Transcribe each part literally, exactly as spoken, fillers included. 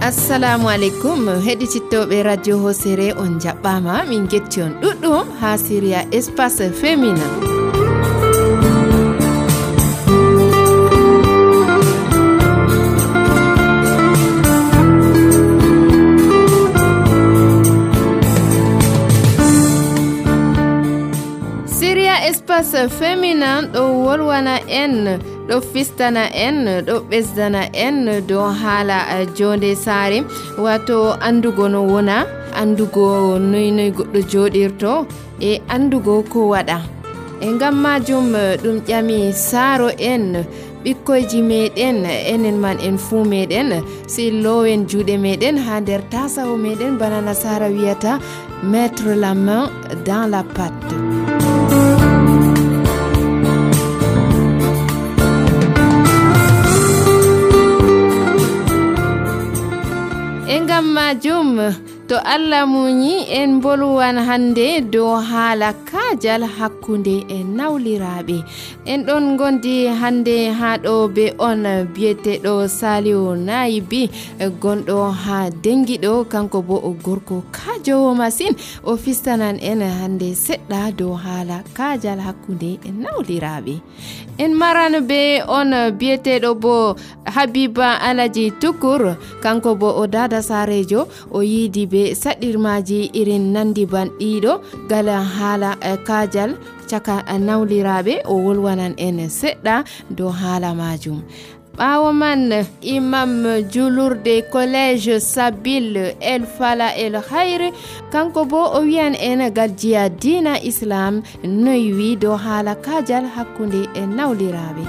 Assalamu alaikum heɗitittoɓe radio Hosere on jaɓɓama min getti on ɗuɗɗum ha Syria Espace Féminin. Syria Espace Féminin ɗo wolwana en ɗo fistana en ɗo ɓesdana en dow haala jonde saare wato andugo no wona andugo noy noy goɗɗo joɗirto e andugo ko waɗa e ngam majum ɗum ƴami saaro en ɓikkoyji meɗen enen man en fuu meɗen si lowen juuɗe meɗen ha nder tasawo meɗen bana nasara wiyata mettre la main dans la pâte. Engam majum to Allah muñi en bolwan hande dow haala kaajal hakkunde e nawliraɓe en ɗon gondi hande ha ɗo be on biyeteɗo Saliou Nayibi gonɗo ha dengiɗo kanko bo o gorko kaajowo masin o fistanan en hande seɗɗa dow haala kaajal hakkunde e nawliraɓe en maran be on biyeteɗo bo Habiba Alaji Tukur kanko bo o dada sarejo o yiidi be saɗirmaji irin nandi banɗiɗo gala haala kaajal caka nawliraɓe o wolwanan en seɗɗa dow haala majum. ɓawo man imam julurde collège Sabil El Fala El Khair kanko bo o wiyan en gadjiya dina islam noy wi dow haala kaajal hakkunde e nawliraɓe.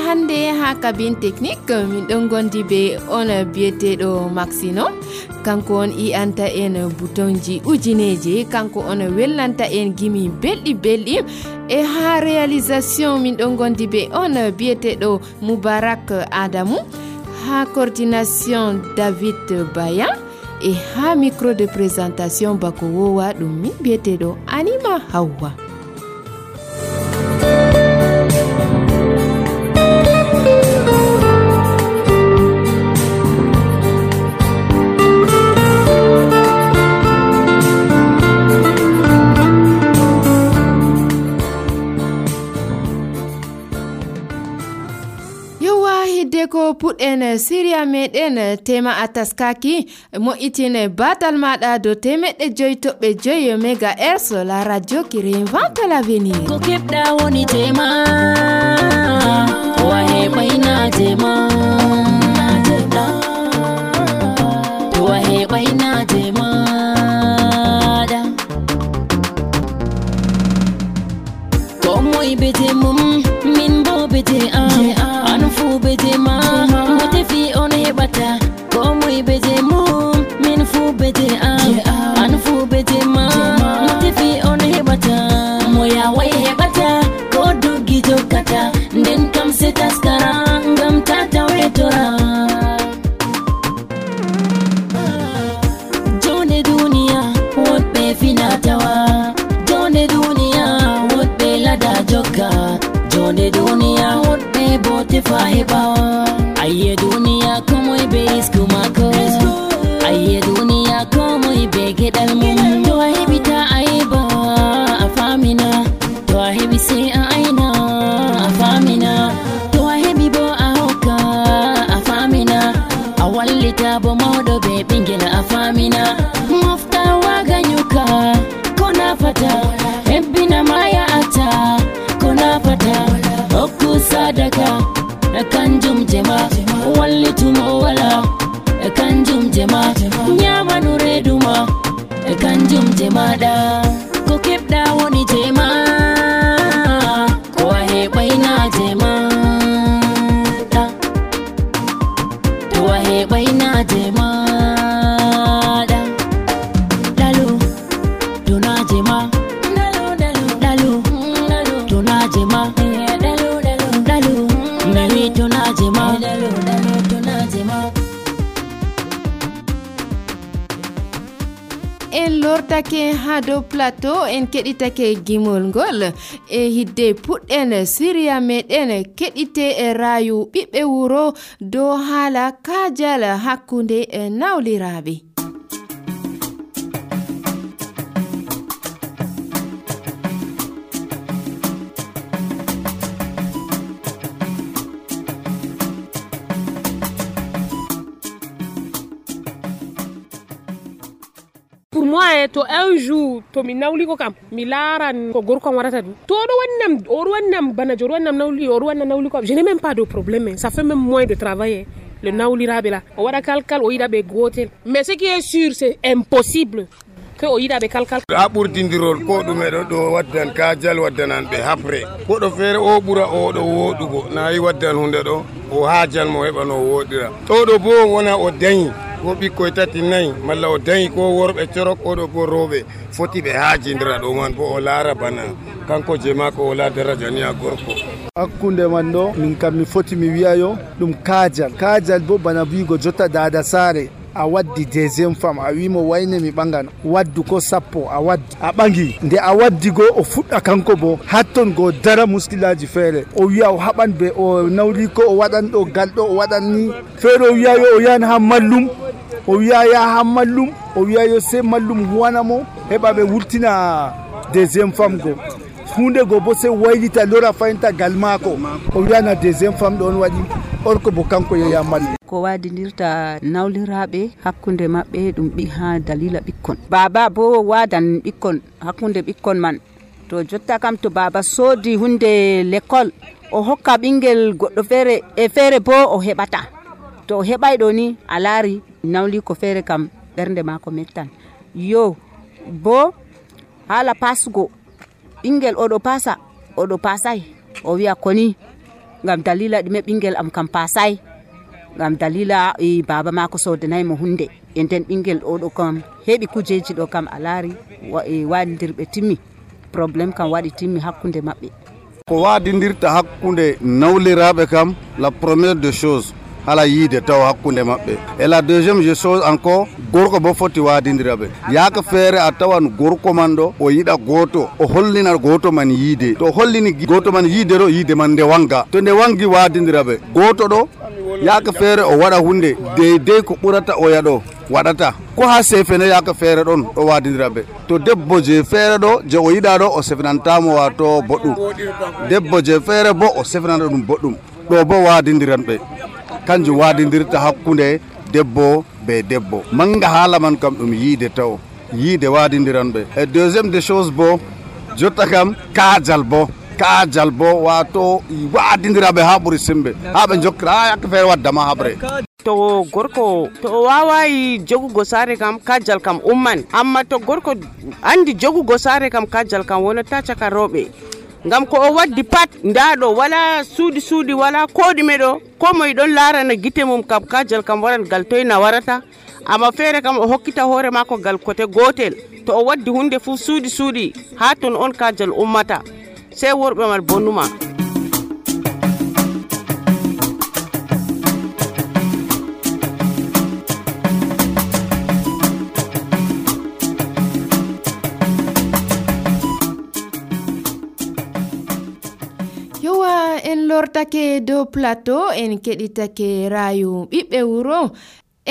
Hande ha cabine technique min ɗon gondi be on biyeteɗo Maxino kanko on i anta en boutonji ujineje kanko on wellanta en gimi belɗi belɗi e ha réalisation min ɗon gondi be on biyeteɗo Moubarak Adamou ha coordination David Bayan e ha micro de présentation bako wowa ɗum min biyeteɗo Anima Hawa. ko puɗɗen Syria meɗen tema ataskaki mo itine batal maɗa do temeɗɗe joyi toɓɓe joyi mégahertz la radio qui réinvente l'avenir. Ko keɓɗa woni tema wa heɓayna tema to wa heɓayna tema ko moy bete mum min bo bete am an fu bete ma mote fi on heɓata ko moy bete mum min fu bete am an fu bete ma mote fi on heɓata moya way heɓata ko doggi jokkata nden kam se taskara ngam tata wetora jone duniya woɗɓe finatawa jone duniya woɗɓe lada jokka jone duniya woɗɓe bo tefa heɓa ayye duniya komoy be risku mako ayye duniya komoy be geɗal mum to a heɓita a heɓa a famina to a heɓi se a aina a famina to a heɓi bo a hokka a famina a wallita bo mawɗo be ɓingel a famina mofta waga nyuka ko nafata hebbina maya ata ko nafata hokku sadaka kanjum jema wallitumo wala kanjum jema nyamanu reduma kanjum jemaɗa ko keɓɗa woni jema ko a heɓayna jema to a heɓayna jema ɗalu dona jema ɗalu dona jema ɗalu nawi dona jema en lortake ha dow plateau en keɗitake gimol ngol e hidde puɗɗen siriya meɗen keɗite e rayu ɓiɓɓe wuro dow haala kaajal hakkunde e nawliraɓe. Pour moi, to un jour to mi nawli ko kam mi laran ko gorko warata du to do wannam o do wannam bana jor wannam nawli o do wannam nawli ko je n'ai même pas de problème, ça fait même moins de travail le nawlirabe là o wada kalkal o yida be gotel, mais ce qui est sûr c'est impossible que o yida be kalkal a ɓurtindirol ko ɗume ɗo ɗo waddan kajal waddanan ɓe hapre koɗo feere o ɓura o ɗo woɗugo nayi waddan hunde ɗo o haajal mo heɓa no woɗira to ɗo bo wona o dañi ko ɓikkoye tati nayi malla o dañi ko worɓe corok oɗo bo rewɓe foti ɓe haajindira ɗo man bo o laara bana kanko je mako o la daraja ni a gorko. Hakkunde man ɗo min kam mi foti mi wiyayo ɗum kaajal kaajal bo bana wiigo jotta dada saare a waddi deuxiéme femme a wimo wayne mi ɓangan waddu ko sappo a waddi a ɓangi nde a waddi go o fuɗɗa kanko bo hatton go dara muskilaji feere o wiya o haɓan be o nawli ko o waɗan ɗo gal ɗo o waɗan ni feere o wiyayo o yahan ha mallum o wiya ya ha mallum o wiyayo se mallum huwanamo heɓa ɓe wurtina deuxiéme femme go hunde go bo se waylita lora fayinta gal maako o wiyana deuxiéme femme ɗon waɗi orko bo kanko yeya mallum ko wadirta nawliraɓe hakkunde maɓɓe ɗum ɓi ha dalila ɓikkon baba bo wadan ɓikkon hakkunde ɓikkon man to jotta kam to baba soodi hunde l'école o hokka ɓingel goɗɗo feere e feere bo o heɓata to o heɓay ɗo ni a laari nawli ko feere kam ɓernde mako mettan yo bo haala pasugo ɓingel oɗo pasa oɗo pasay o wiya koni ngam dalila ɗume ɓingel am kam pasay ngam dalila e baba mako sodanayi mo hunde e nden ɓingel oɗo kam heɓi kujeji ɗo kam a laari e waɗidirɓe timmi probléme kam waɗi timmi hakkunde maɓɓe ko waɗidirta hakkunde nawliraɓe kam la première des choses hala yiide taw hakkunde maɓɓe et la deuxième chose encore gorko bo foti wadidiraɓe yaaka feere a tawan gorko man ɗo o yiɗa goto o hollina goto man yiide to hollini goto man yiide ɗo yiide man nde wanga to nde wangi wadidiraɓe goto ɗo yaaka feere o waɗa hunde deydey ko ɓurata oya ɗo waɗata ko ha sefene yaaka feere ɗon ɗo wadidiraɓe to debbo je feere ɗo je o yiɗa ɗo o sefnantamo wato boɗɗum debbo je feere bo o sefnanta ɗum boɗɗum ɗo bo wadidiranɓe kanjum wadidirta hakkunde debbo be debbo manga haala man kam ɗum yiide taw yiide wadidiranɓe e deuxiéme des choses bo jotta kam kaajal bo kaajal bo wato wadidiraɓe ha ɓuuri sembe ha ɓe jokkira ha yakka feere waddama haɓre to gorko to o wawayi jogugo saare kam kaajal kam umman amma to gorko andi jogugo saare kam kaajal kam wonata caka rewɓe ngam ko o waddi pat ndaɗo wala suudi suudi wala koɗume ɗo ko moye ɗon larana guite mum kam kaajal kam waran gal toyna warata amma feere kam o hokkita hoore mako gal kote gotel to o waddi hunde fu suudi suudi ha ton on kaajal ummata sey worɓe man bonnuma. en lortake dow plateau en keɗitake rayu ɓiɓɓe wuro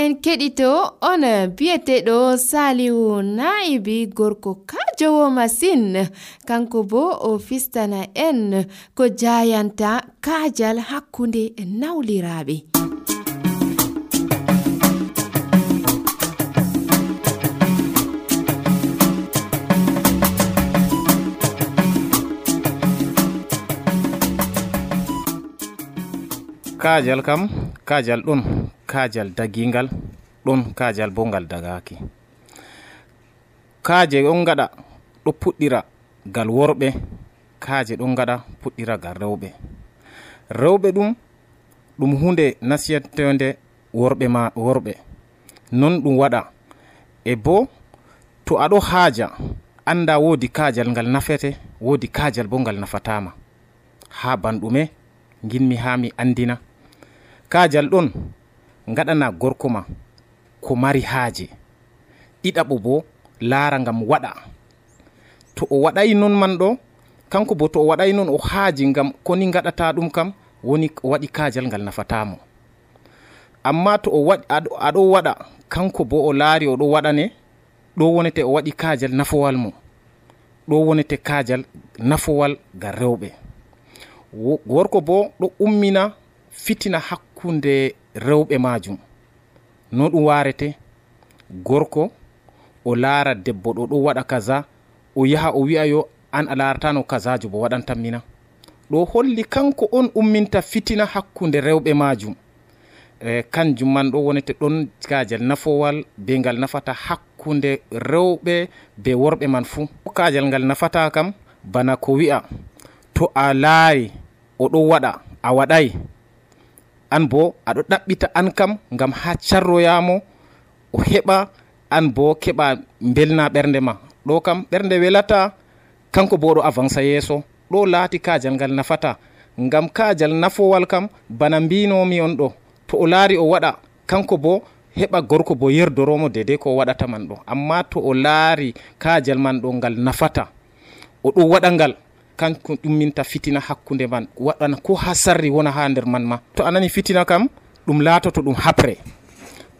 en keɗito on biyeteɗo Saliu Naibi gorko kajowo masine kanko bo o fistana en ko jayanta kaajal hakkunde nawliraɓe. kaajal kam kaajal ɗon kaajal dagingal ɗon kaajal bo ngal dagaki kaaje ɗon gaɗa ɗo puɗɗira gal worɓe kaaje ɗon gaɗa puɗɗira gal rewɓe rewɓe ɗum ɗum hunde nasiyatende worɓe ma worɓe non ɗum waɗa e bo to aɗo haaja anda woodi kaajal ngal nafete woodi kaajal bo ngal nafatama ha banɗume ginmi ha mi andina kaajal ɗon gaɗana gorko ma ko mari haaje ɗiɗaɓo bo laara ngam waɗa. To o waɗay non man ɗo kanko bo to o waɗay non o haaji ngam koni gaɗata ɗum kam woni o waɗi kaajal ngal nafatamo. Amma to o waɗi aɗo waɗa kanko bo o laari oɗo waɗane, ɗo wonete o waɗi kaajal nafowal mo, ɗo wonete kaajal nafowal ga rewɓe. Gorko bo ɗo ummina fitina hakkunde rewɓe majum. No ɗum warete, gorko o laara debbo ɗo ɗo waɗa kaza, o yaha o wi'a yo an a laaratano kazajo bo waɗantammina. ɗo holli kanko on umminta fitina hakkunde rewɓe majum. e kanjum man ɗo wonete ɗon kaajal nafowal be ngal nafata hakkunde rewɓe be worɓe man fuu. Kaajal ngal nafata kam bana ko wi'a to a laari oɗo waɗa a waɗay, an bo aɗo ɗaɓɓita an kam ngam ha carroyamo o heɓa, an bo keɓa belna ɓernde ma. ɗo kam ɓernde welata, kanko bo ɗo avansa yeeso. ɗo laati kaajal ngal nafata, ngam kaajal nafowal kam bana mbinomi on ɗo, to o laari o waɗa kanko bo heɓa gorko bo yerdoromo dede ko waɗata man ɗo. Amma to o laari kaajal man ɗo ngal nafata, o ɗo waɗa ngal, kanko ɗumminta fitina hakkunde man, waɗana ko ha sarri wona ha nder man ma. To a nani fitina kam ɗum laatoto ɗum hapre,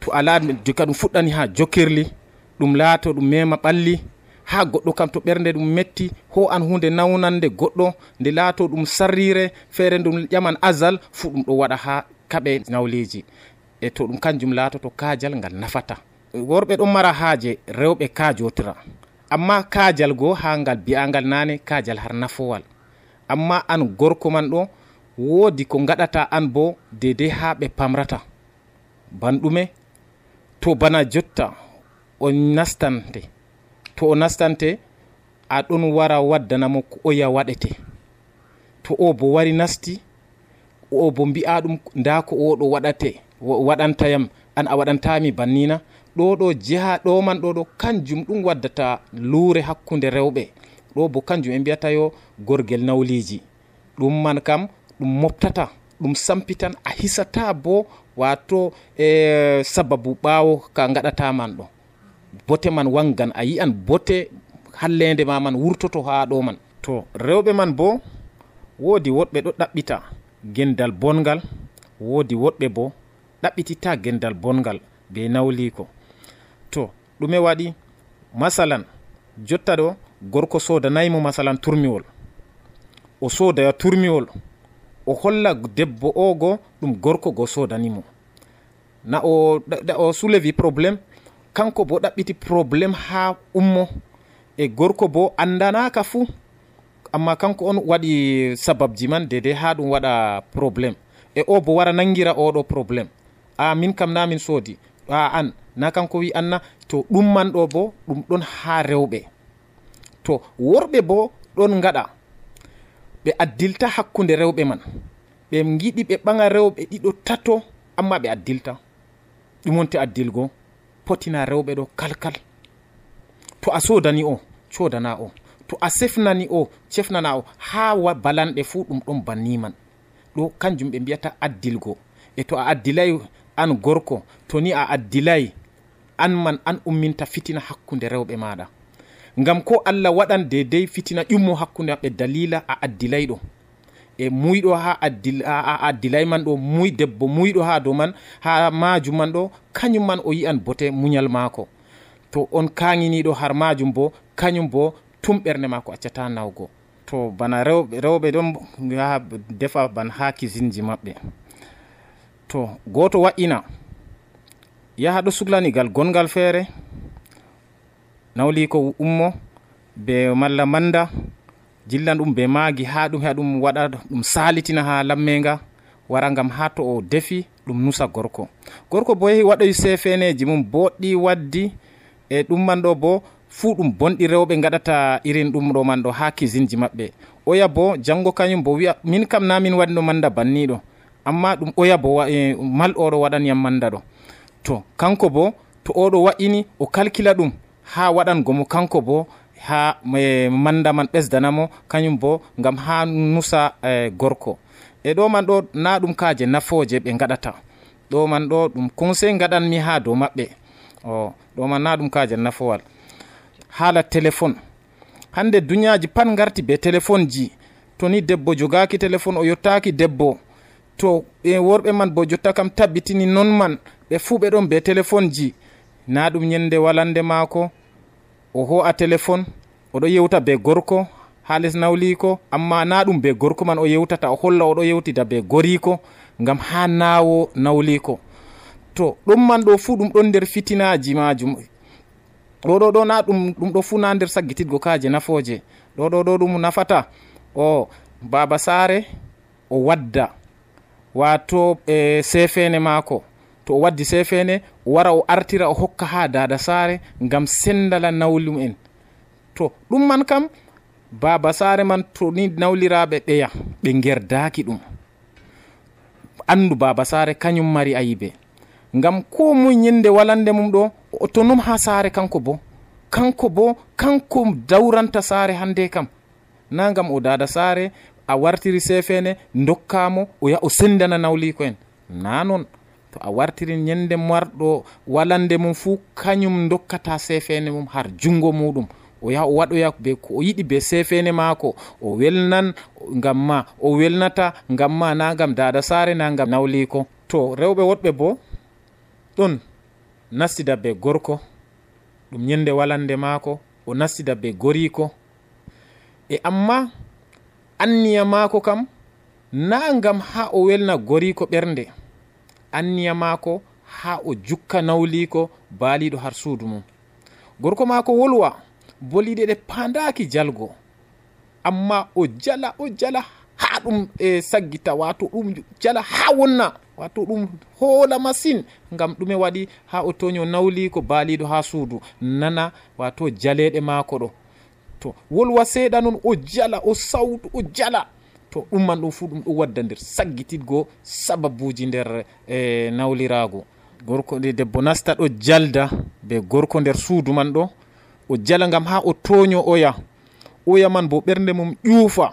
to a laari ka ɗum fuɗɗani ha jokirli, ɗum laato ɗum mema ɓalli, ha goɗɗo kam to ɓernde ɗum metti ho an hunde nawnande goɗɗo nde laato ɗum sarrire feere ɗum ƴaman azal fu ɗum ɗo waɗa ha kaɓe nawleji. E to ɗum kanjum laatoto kaajal ngal nafata. Worɓe ɗon mara haaje rewɓe kaajotira, amma kaajal go ha ngal bi'angal nane kaajal har nafowal. Amma an gorko man ɗo woodi ko gaɗata an bo dede ha ɓe pamrata. Banɗume to bana jotta o nastante, to o nastante a ɗon wara waddanamo ko oya waɗete. To o bo wari nasti, o bo mbi'a ɗum nda ko o ɗo waɗate waɗantayam, an a waɗantami bannina. ɗo ɗo jiha ɗo man ɗo ɗo kanjum ɗum waddata luure hakkunde rewɓe. ɗo bo kanjum e mbiyata yo gorgel nawliji. ɗum man kam ɗum moftata, ɗum sampitan, a hisata bo wato e sababu ɓawo ka gaɗata man ɗo. bote man wangan, a yi'an bote hallende ma man wurtoto ha ɗo man. To rewɓe man bo woodi woɗɓe ɗo ɗaɓɓita gendal bongal, woodi woɗɓe bo ɗaɓɓitita gendal bongal be nawliko. To ɗume waɗi? Masalan jotta ɗo gorko sodanaymo masalan turmiwol, o sodaya turmiwol, o holla debbo o go ɗum gorko go sodanimo, na o, o soulevi probléme, kanko bo ɗaɓɓiti probléme ha ummo, e gorko bo andanaka fuu, amma kanko on waɗi sababji man dede ha ɗum waɗa probléme. E o bo wara nangira oɗo probléme, a min kam na min soodi, a an na kanko wi anna. To ɗum man ɗo bo ɗum ɗon ha rewɓe. To worɓe bo ɗon gaɗa, ɓe addilta hakkunde rewɓe man, ɓe giɗi ɓe ɓaŋa rewɓe ɗiɗo tato, amma ɓe addilta. ɗum wonte addilgo potina rewɓe ɗo kalkal. To a sodani o codana o, to a sefnani o cefnana o, ha wa balanɗe fuu ɗum ɗon banni man. ɗo kanjum ɓe mbiyata addilgo. E to a addilay an gorko, to ni a addilay, an man an umminta fitina hakkunde rewɓe maɗa. Ngam ko Allah waɗan dedei fitina ƴummo hakkunde maɓɓe dalila a addilayɗo. E muyɗo ha addil, a addilay man ɗo, muy debbo muyɗo ha dow man, ha majum man ɗo, kañum man o yi'an bote muñal maako. To on kaŋiniɗo har majum bo, kañum bo tum ɓernde maako accata nawgo. To bana rewɓe rewɓe ɗon yaha defa ban ha kisinji maɓɓe. To goto wa'ina yaha ɗo suglanigal gongal feere, nawli ko ummo be malla manda, jillan ɗum be maagi ha ɗum ha ɗum waɗa ɗum salitina ha lammenga, wara ngam ha to o defi ɗum nusa gorko. Gorko bo yehi waɗoy sefeneji mum boɗɗi waddi, e ɗum man ɗo bo fuu ɗum bonɗi rewɓe gaɗata irin ɗum ɗo man ɗo ha kisinji maɓɓe. Oya bo jango kañum bo wi'a min kam na min waɗino manda banniɗo, amma ɗum oya bo e, mal oɗo waɗaniyam manda ɗo. To kanko bo to oɗo wa'ini o kalkila ɗum ha waɗangomo kanko bo ha e, manda man ɓesdanamo kañum bo ngam ha nusa e, gorko. E ɗo man ɗo na ɗum kaje nafoje ɓe gaɗata, ɗo man ɗo ɗum conseil gaɗanmi ha dow maɓɓe. o ɗo man na ɗum kaje nafowal. haala téléphone. Hande duniyaji pat garti be téléphone ji. To ni debbo jogaki téléphone o yottaki debbo, to ɓe worɓe man bo jotta kam tabbitini non man ɓe fuu ɓe ɗon be téléphone ji. Na ɗum nyende walande maako o ho'a téléphone oɗo yewta be gorko ha les nawliko, amma na ɗum be gorko man o yewtata, o holla oɗo yewtida be goriko ngam ha nawo nawliko. To ɗum man ɗo fuu ɗum ɗon nder fitinaji majum. ɗo ɗo ɗo na ɗum ɗum ɗo fuu na nder saggitidgo kaje nafoje. ɗo ɗo ɗo ɗum nafata. o baba sare o wadda wato e sefene maako, to o waddi sefene o wara o artira o hokka ha dada sare ngam sendala nawlum en. To ɗum man kam baba sare man to ni nawliraɓe ɓeya ɓe gerdaki ɗum, andu baba sare kañum mari ayibe, ngam ko muy nyinde walande mum ɗo to num ha sare kanko bo kanko bo kanko dawranta sare hande kam, na ngam o dada sare a wartiri sefene dokkamo o ya o sendana nawliko en, na non. To a wartiri nyende marɗo walande mum fu kañum dokkata sefene mum har jungo muɗum, o yaha o waɗoya be ko o yiɗi be sefene maako, o welnan ngam ma, o welnata ngam ma, na ngam dada sare, na ngam nawliko. To rewɓe woɗɓe bo ɗon nastida be gorko ɗum nyende walande maako, o nastida be goriko, e amma anniya maako kam na ngam ha o welna goriko ɓernde, anniya maako ha o jukka nawliko baaliɗo har suudu mum. Gorko maako wolwa boliɗe ɗe pandaki jalgo, amma o jala o jala ha ɗum e saggita, wato ɗum jala ha wonna, wato ɗum hoola masine, ngam ɗume waɗi ha o toño nawliko baaliɗo ha suudu nana wato jaleɗe maako ɗo. To wolwa seeɗa non o jala o sawtu o jala, to ɗum man ɗum fu ɗum ɗo wadda nder saggitidgo sababuji nder e nawlirago. Gorko de debbo nasta ɗo jalda be gorko nder suudu man ɗo, o jala ngam ha o toño oya oya man bo ɓernde mum ƴuufa,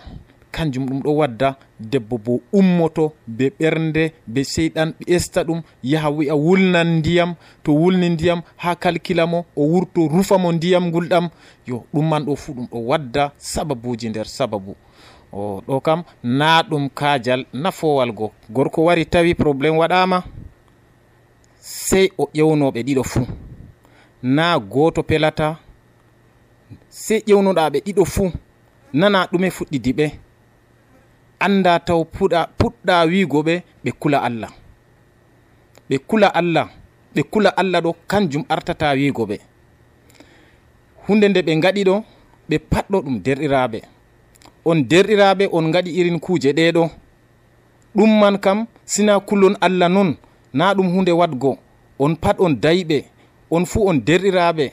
kanjum ɗum ɗo wadda debbo bo ummoto be ɓernde be seyɗan ɓesta ɗum yaha wi'a wulnan ndiyam, to wulni ndiyam ha kalkila mo o wurto rufa mo ndiyam ngulɗam. Yo ɗum man ɗo fu ɗum ɗo wadda sababuji nder sababu. o ɗo kam na ɗum kajal nafowal go. Gorko wari tawi probléme waɗama sey o ƴewnoɓe ɗiɗo fuu, na goto pelata, sey ƴewnoɗaɓe ɗiɗo fuu nana ɗume fuɗɗidi ɓe, anda taw puɗa puɗɗa wigo ɓe ɓe kula Allah, ɓe kula Allah, ɓe kula Allah ɗo kanjum artata wigo ɓe. Hunde nde ɓe gaɗi ɗo ɓe patɗo ɗum derɗiraɓe, on derɗiraɓe on gaɗi irin kuje ɗeɗo, ɗum man kam sina kulon Allah non, na ɗum hunde wadgo. On pat on dayɓe, on fu on derɗiraɓe,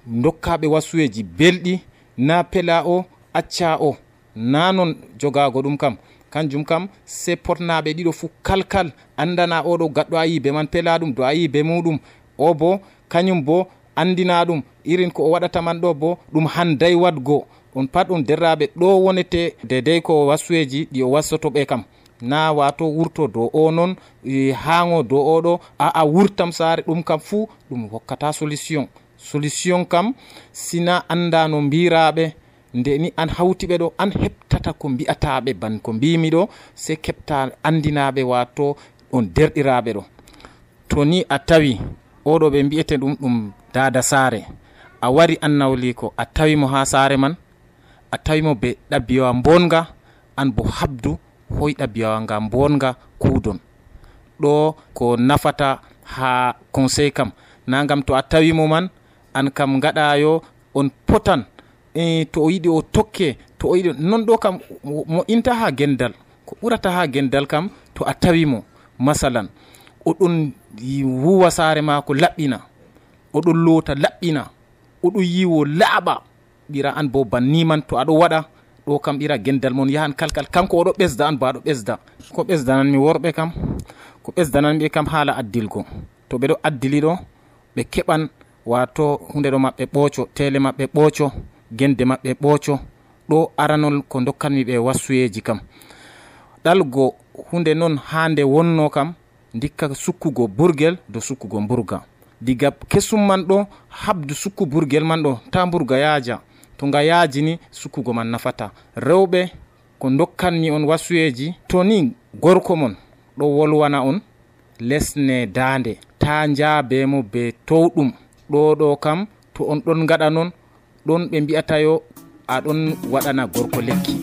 dokkaɓe wasuyeji belɗi, na pela o acca o, na non jogago ɗum kam. Kanjum kam se potnaɓe ɗiɗo fu kalkal andana oɗo gaɗɗo ayibe man pela ɗum do ayibe muɗum, o bo kañum bo andina ɗum irin ko o waɗata man ɗo bo ɗum handay wadgo. On pat on derraɓe ɗo wonete dedei ko wasuyeji ɗi o wassotoɓe kam, na wato wurto do o non e hango do oɗo a a wurtam sare, ɗum kam fu ɗum hokkata solution. Solution kam sina anda no mbiraɓe, nde ni an hawtiɓe ɗo an heɓtata ko mbi'ataɓe ban ko mbimi ɗo, se keɓta andinaɓe wato on derɗiraɓe ɗo. To ni a tawi oɗo ɓe mbi'ete ɗum ɗum dada sare, a wari an nawliko a tawimo ha sare man, a tawimo be ɗabiyawa bonga, an bo habdu hoy ɗabiyawa nga bonga kuudon. ɗo ko nafata ha conseil kam, na ngam to a tawimo man an kam gaɗayo on potan e to o yiɗi o tokke, to o yiɗi non ɗo kam mo inta ha gendal, ko ɓurata ha gendal kam to a tawimo masalan oɗon wuwa sare mako laɓɓina, oɗon loota laɓɓina, oɗon yiwo laaɓa, ɓira an bo banni man to aɗo waɗa ɗo kam ɓira gendal mon yahan kalkal, kanko oɗo ɓesda an bo aɗo ɓesda. Ko ɓesdananmi worɓe kam, ko ɓesdananɓe kam haala addilgo, to ɓeɗo addili ɗo ɓe keɓan wato hunde ɗo maɓɓe ɓooco, tele maɓɓe ɓooco, gende maɓɓe ɓooco. Ɗo aranol ko dokkanmi ɓe wasuyeji kam. ɗalgo hunde non hande wonno kam dikka sukkugo burgel do sukkugo burga. diga kesum man ɗo habdu sukku burgel man ɗo ta burga yaaja. To nga yaaji ni sukkugo man nafata. Rewɓe ko dokkanni on wasuyeji, to ni gorko mon ɗo wolwana on lesne dande ta njaabe mo be towɗum. Ɗo ɗo kam to on ɗon gaɗa non ɗon ɓe mbi'ata yo aɗon waɗana gorko lekki.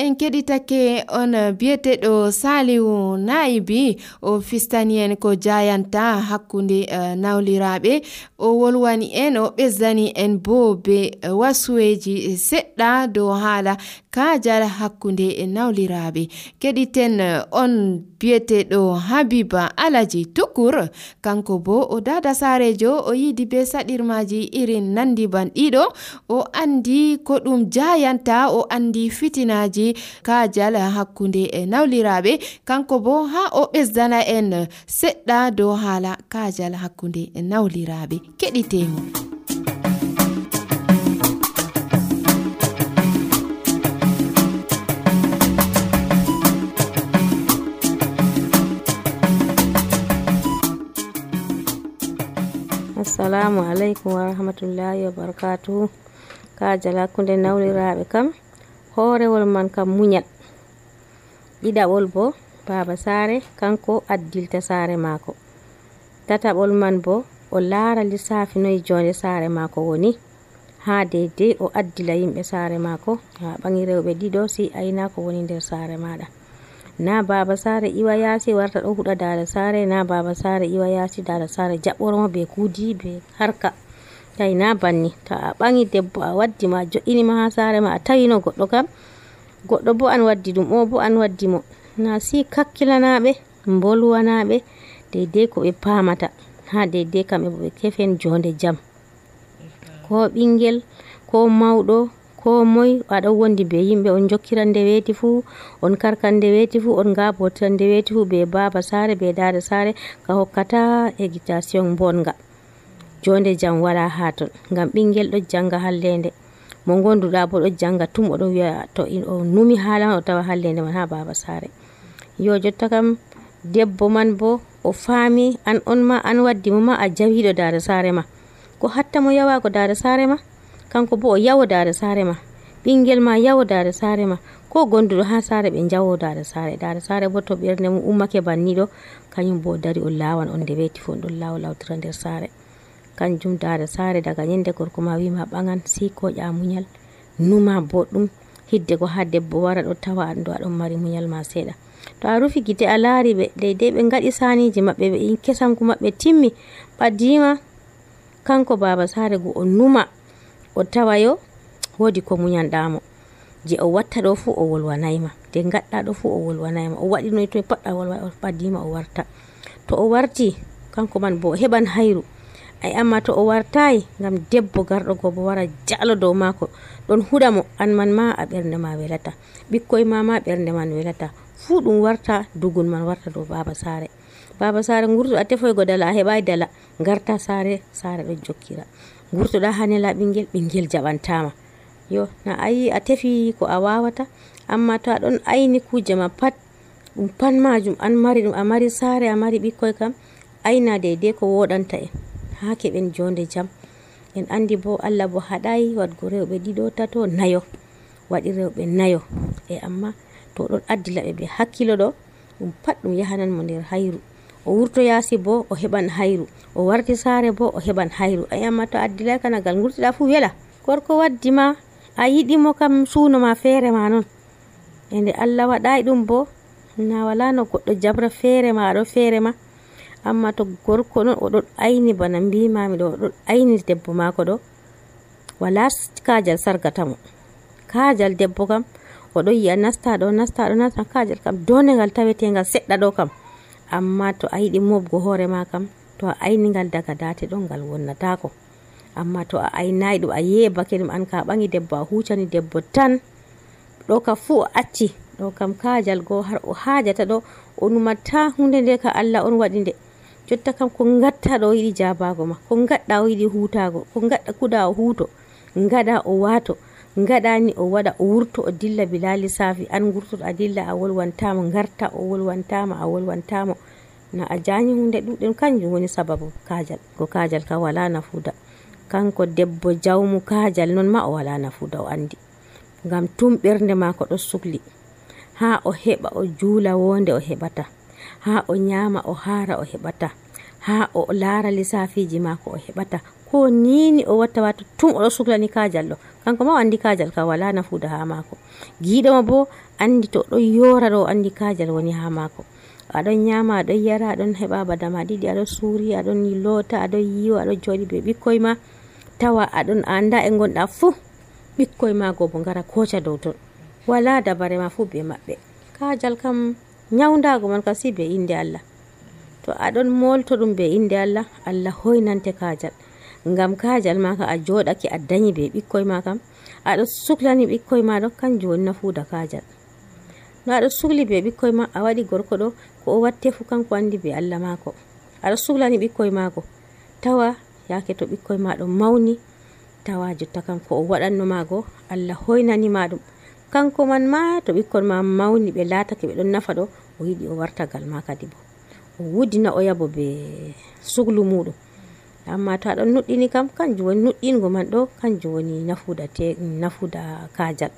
en keɗitake on biyeteɗo Salihu Naibi o fistani en ko jayanta hakkunde uh, nawliraɓe o wolwani en o ɓesdani en bo be uh, wasuweji seɗɗa dow haala kajal hakkunde nawliraɓe. Keɗiten uh, on biyeteɗo Habiba Alaji Tukur kanko bo o dada sarejo o yidi be saɗirmaji irin nandi ban ɗiɗo o andi ko ɗum jayanta o andi fitinaji kajal hakkunde e nawliraɓe kanko bo ha o ɓesdana en seɗɗa dow haala kajal hakkunde e nawliraɓe. Keɗitemo. Assalamu alaikum wa rahmatullahi wa barakatuhu. Kajal hakkunde nawliraɓe kam horewol man kam muñal, ɗiɗaɓol bo baba sare kanko addilta sare mako, tataɓol man bo o laara lissafi noyi jonde sare mako woni ha deydey o addila yimɓe sare mako ha ɓangi rewɓe ɗiɗo si ayna ko woni nder sare maɗa. Na baba sare iwa yasi warta ɗo huɗa dada sare, na baba sare iwa yasi dada sare jaɓɓormo be kudi be harka. Tay na banni ta a ɓangi debbo a waddi ma jo'inima ha sare ma a tawino goɗɗo kam goɗɗo bo an waddi ɗum o bo an waddi mo, na si kakkilanaɓe bolwanaɓe deydey ko ɓe pamata ha deydey kamɓe bo ɓe kefen jonde jam. Ko ɓingel ko mawɗo ko moy aɗon wondi be yimɓe on jokkiran nde weeti fu on karkan nde weeti fu on gabotiran nde weeti fu be baba sare be dada sare ka hokkata éducation bonga. Jonde jam wala ha ton ngam ɓingel ɗo janga hallende mo gonduɗa bo ɗo janga tum oɗo wiya to in o numi haala o tawa hallende man ha baba sare. Yo jotta kam debbo man bo o faami an on ma an waddi mo ma a jawiɗo dada sare ma, ko hatta mo yawago dada sare ma kanko bo o yawo dada sare ma, ɓingel ma yawo dada sare ma, ko gonduɗo ha sare ɓe jawo dada sare. Dada sare bo to ɓerde mum ummake banniɗo kañum bo dari on lawan on nde weeti fu on ɗon lawo lawtira nder sare. Kanjum dada sare daga nyende gorko ma wima ɓangan si ko ƴa muñal numa boɗɗum hidde ko ha debbo wara ɗo tawa an ɗo aɗon mari muñal ma seeɗa. To a rufi gite a laari ɓe deydey ɓe ngaɗi saniji maɓɓe ɓe in kesanku maɓɓe timmi ɓaddima kanko baba sare go o numa o tawa yo wodi ko muñanɗamo je o watta ɗo fu o wolwanayma, de gaɗɗa ɗo fu o wolwanayma, o waɗi noy to paɗɗa wolwa o ɓaddima o warta. To o warti kanko man bo o heɓan hayru ay amma to o wartayi ngam debbo garɗo go bo wara jalo dow mako ɗon huɗa mo an man ma a ɓernde ma welata, ɓikkoy ma ma ɓernde man welata, fu ɗum warta dugun man warta dow baba sare. Baba sare ngurto a tefoygo dala a heɓai dala garta sare sare ɗo jokkira, ngurtoɗa ha nela ɓingel ɓingel jaɓantama. Yo na ayi a tefi ko a wawata, amma to aɗon ayni kuje ma pat ɗum pat majum an mari ɗum a mari sare a mari ɓikkoy kam ayna deydey ko woɗanta en ha keɓen jonde jam. En andi bo Allah bo haɗai wadgo rewɓe ɗiɗo tato nayo, waɗi rewɓe nayo e amma to ɗon addila ɓe be hakkilo ɗo ɗum pat ɗum yahanan mo nder hayru. O wurto yasi bo o heɓan hayru, o warti sare bo o heɓan hayru. Ay amma to addilay kanagal ngurtiɗa fu wela, gorko waddi ma a yiɗimo kam suno ma feere ma non, ende Allah waɗai ɗum bo na wala no goɗɗo jabra feere ma aɗo feere ma. Amma to gorko non oɗon ayni bana mbimami ɗo oɗon ayni debbo mako ɗo wala kajal sargatamo. Kajal debbo kam oɗon yi'a nasta ɗo nasta ɗo nasta, kajal kam donegal tawetegal seɗɗa ɗo kam, amma to a yiɗi mobgo hoore ma kam to a aynigal daga date ɗon ngal wonnatako. Amma to a aynayi ɗum a yebake ɗum an ka ɓangi debbo a hucani debbo tan ɗo ka fu o acci ɗo kam kajal go har o hajata ɗo o numata hunde nde ka Allah on waɗi nde. jotta kam ko gatta ɗo yiɗi jabago ma, ko gaɗɗa o yiɗi hutago, ko gaɗɗa kuda o huto, gaɗa o wato, gaɗani o waɗa o wurto o dilla bila lissafi, an gurtoto a dilla a wolwantamo, garta o wolwantama a wolwantamo, na a janyi hunde ɗuɗɗum. Kanjum woni sababu kajal. Ko kajal kam wala nafuda, kanko debbo jawmu kajal non ma o wala nafuda o andi, ngam tum ɓernde mako ɗo sukli, ha o heɓa o juula wonde o heɓata, ha o nyama o hara o heɓata, ha o lara lissafiji mako o heɓata, ko nini o watta wato tum oɗo suklani kajal ɗo. Kanko ma o andi kajal ka wala nafuda ha mako, giɗoma bo andi to ɗon yora ɗo andi kajal woni ha mako. Aɗon nyama aɗon yara aɗon heɓa badama ɗiɗi aɗon suuri aɗon lota aɗon yiwa aɗon joɗi be ɓikkoy ma, tawa aɗon anda e gonɗa fu ɓikkoy ma go bo ngara koca dow ton, wala dabare ma fu be maɓɓe. Kajal kam nyawdago man kam si be inde Allah, to aɗon molto ɗum be inde Allah, Allah hoynante kajal, ngam kajal ma ka a joɗake a dañi be ɓikkoy ma kam aɗo suklani ɓikkoy ma ɗo, kanjum woni nafuda kajal. No aɗo sukli be ɓikkoy ma a waɗi gorko ɗo ko o watte fu kanko andi be Allah mako, aɗo suklani ɓikkoy mako, tawa yake to ɓikkoy ma ɗo mawni, tawa jotta kam ko o waɗanno mago Allah hoynani ma ɗum, kanko man ma to ɓikkon ma mawni ɓe latake ɓe ɗon nafa ɗo, o yiɗi o wartagal ma kadi bo o wudina o yabo be suglu muɗum. Amma to aɗon nuɗɗini kam kanjum woni nuɗɗingo man ɗo, kanjum woni nafuda te nafuda kajal,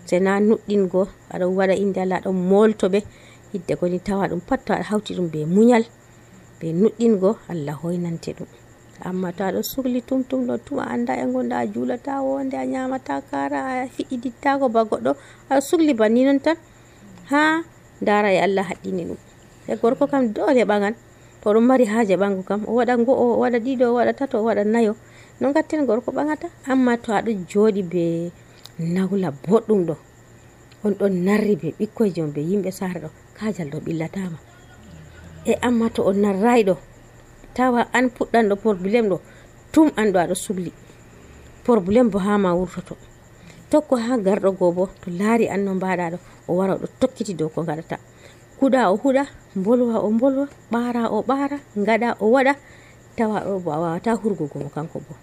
sena nuɗɗingo aɗon waɗa inde Allah aɗon molto ɓe hidde koni tawa ɗum pat to aɗa hawti ɗum be muñal be nuɗɗingo Allah hoynante ɗum. Amma to aɗon sukli tum tum ɗo tum a anda e gonɗa a julata wonde a nyamata kara a fiɗidittago ba goɗɗo, aɗa sukli banni non tan, ha dara e Allah haɗɗini ɗum. E gorko kam dole ɓagan to ɗum mari haje ɓangu kam o waɗa ngo o waɗa ɗiɗo o waɗa tato o waɗa nayo, no gatten gorko ɓagata. Amma to aɗon joɗi be nawla boɗɗum ɗo, on ɗon narri be ɓikkoy jom be yimɓe sare ɗo, kajal ɗo ɓillatama. E amma to on narrai ɗo, tawa an puɗɗan ɗo probléme ɗo tum an ɗo aɗo sugli, probléme bo ha ma wurtoto, tokko ha garɗo go bo to laari an no mbaɗa ɗo o wara ɗo tokkiti dow ko gaɗata, huɗa o huɗa, bolwa o bolwa, ɓara o ɓara, gaɗa o waɗa, tawa ɗo bo a wawata hurgugo mo kanko bo.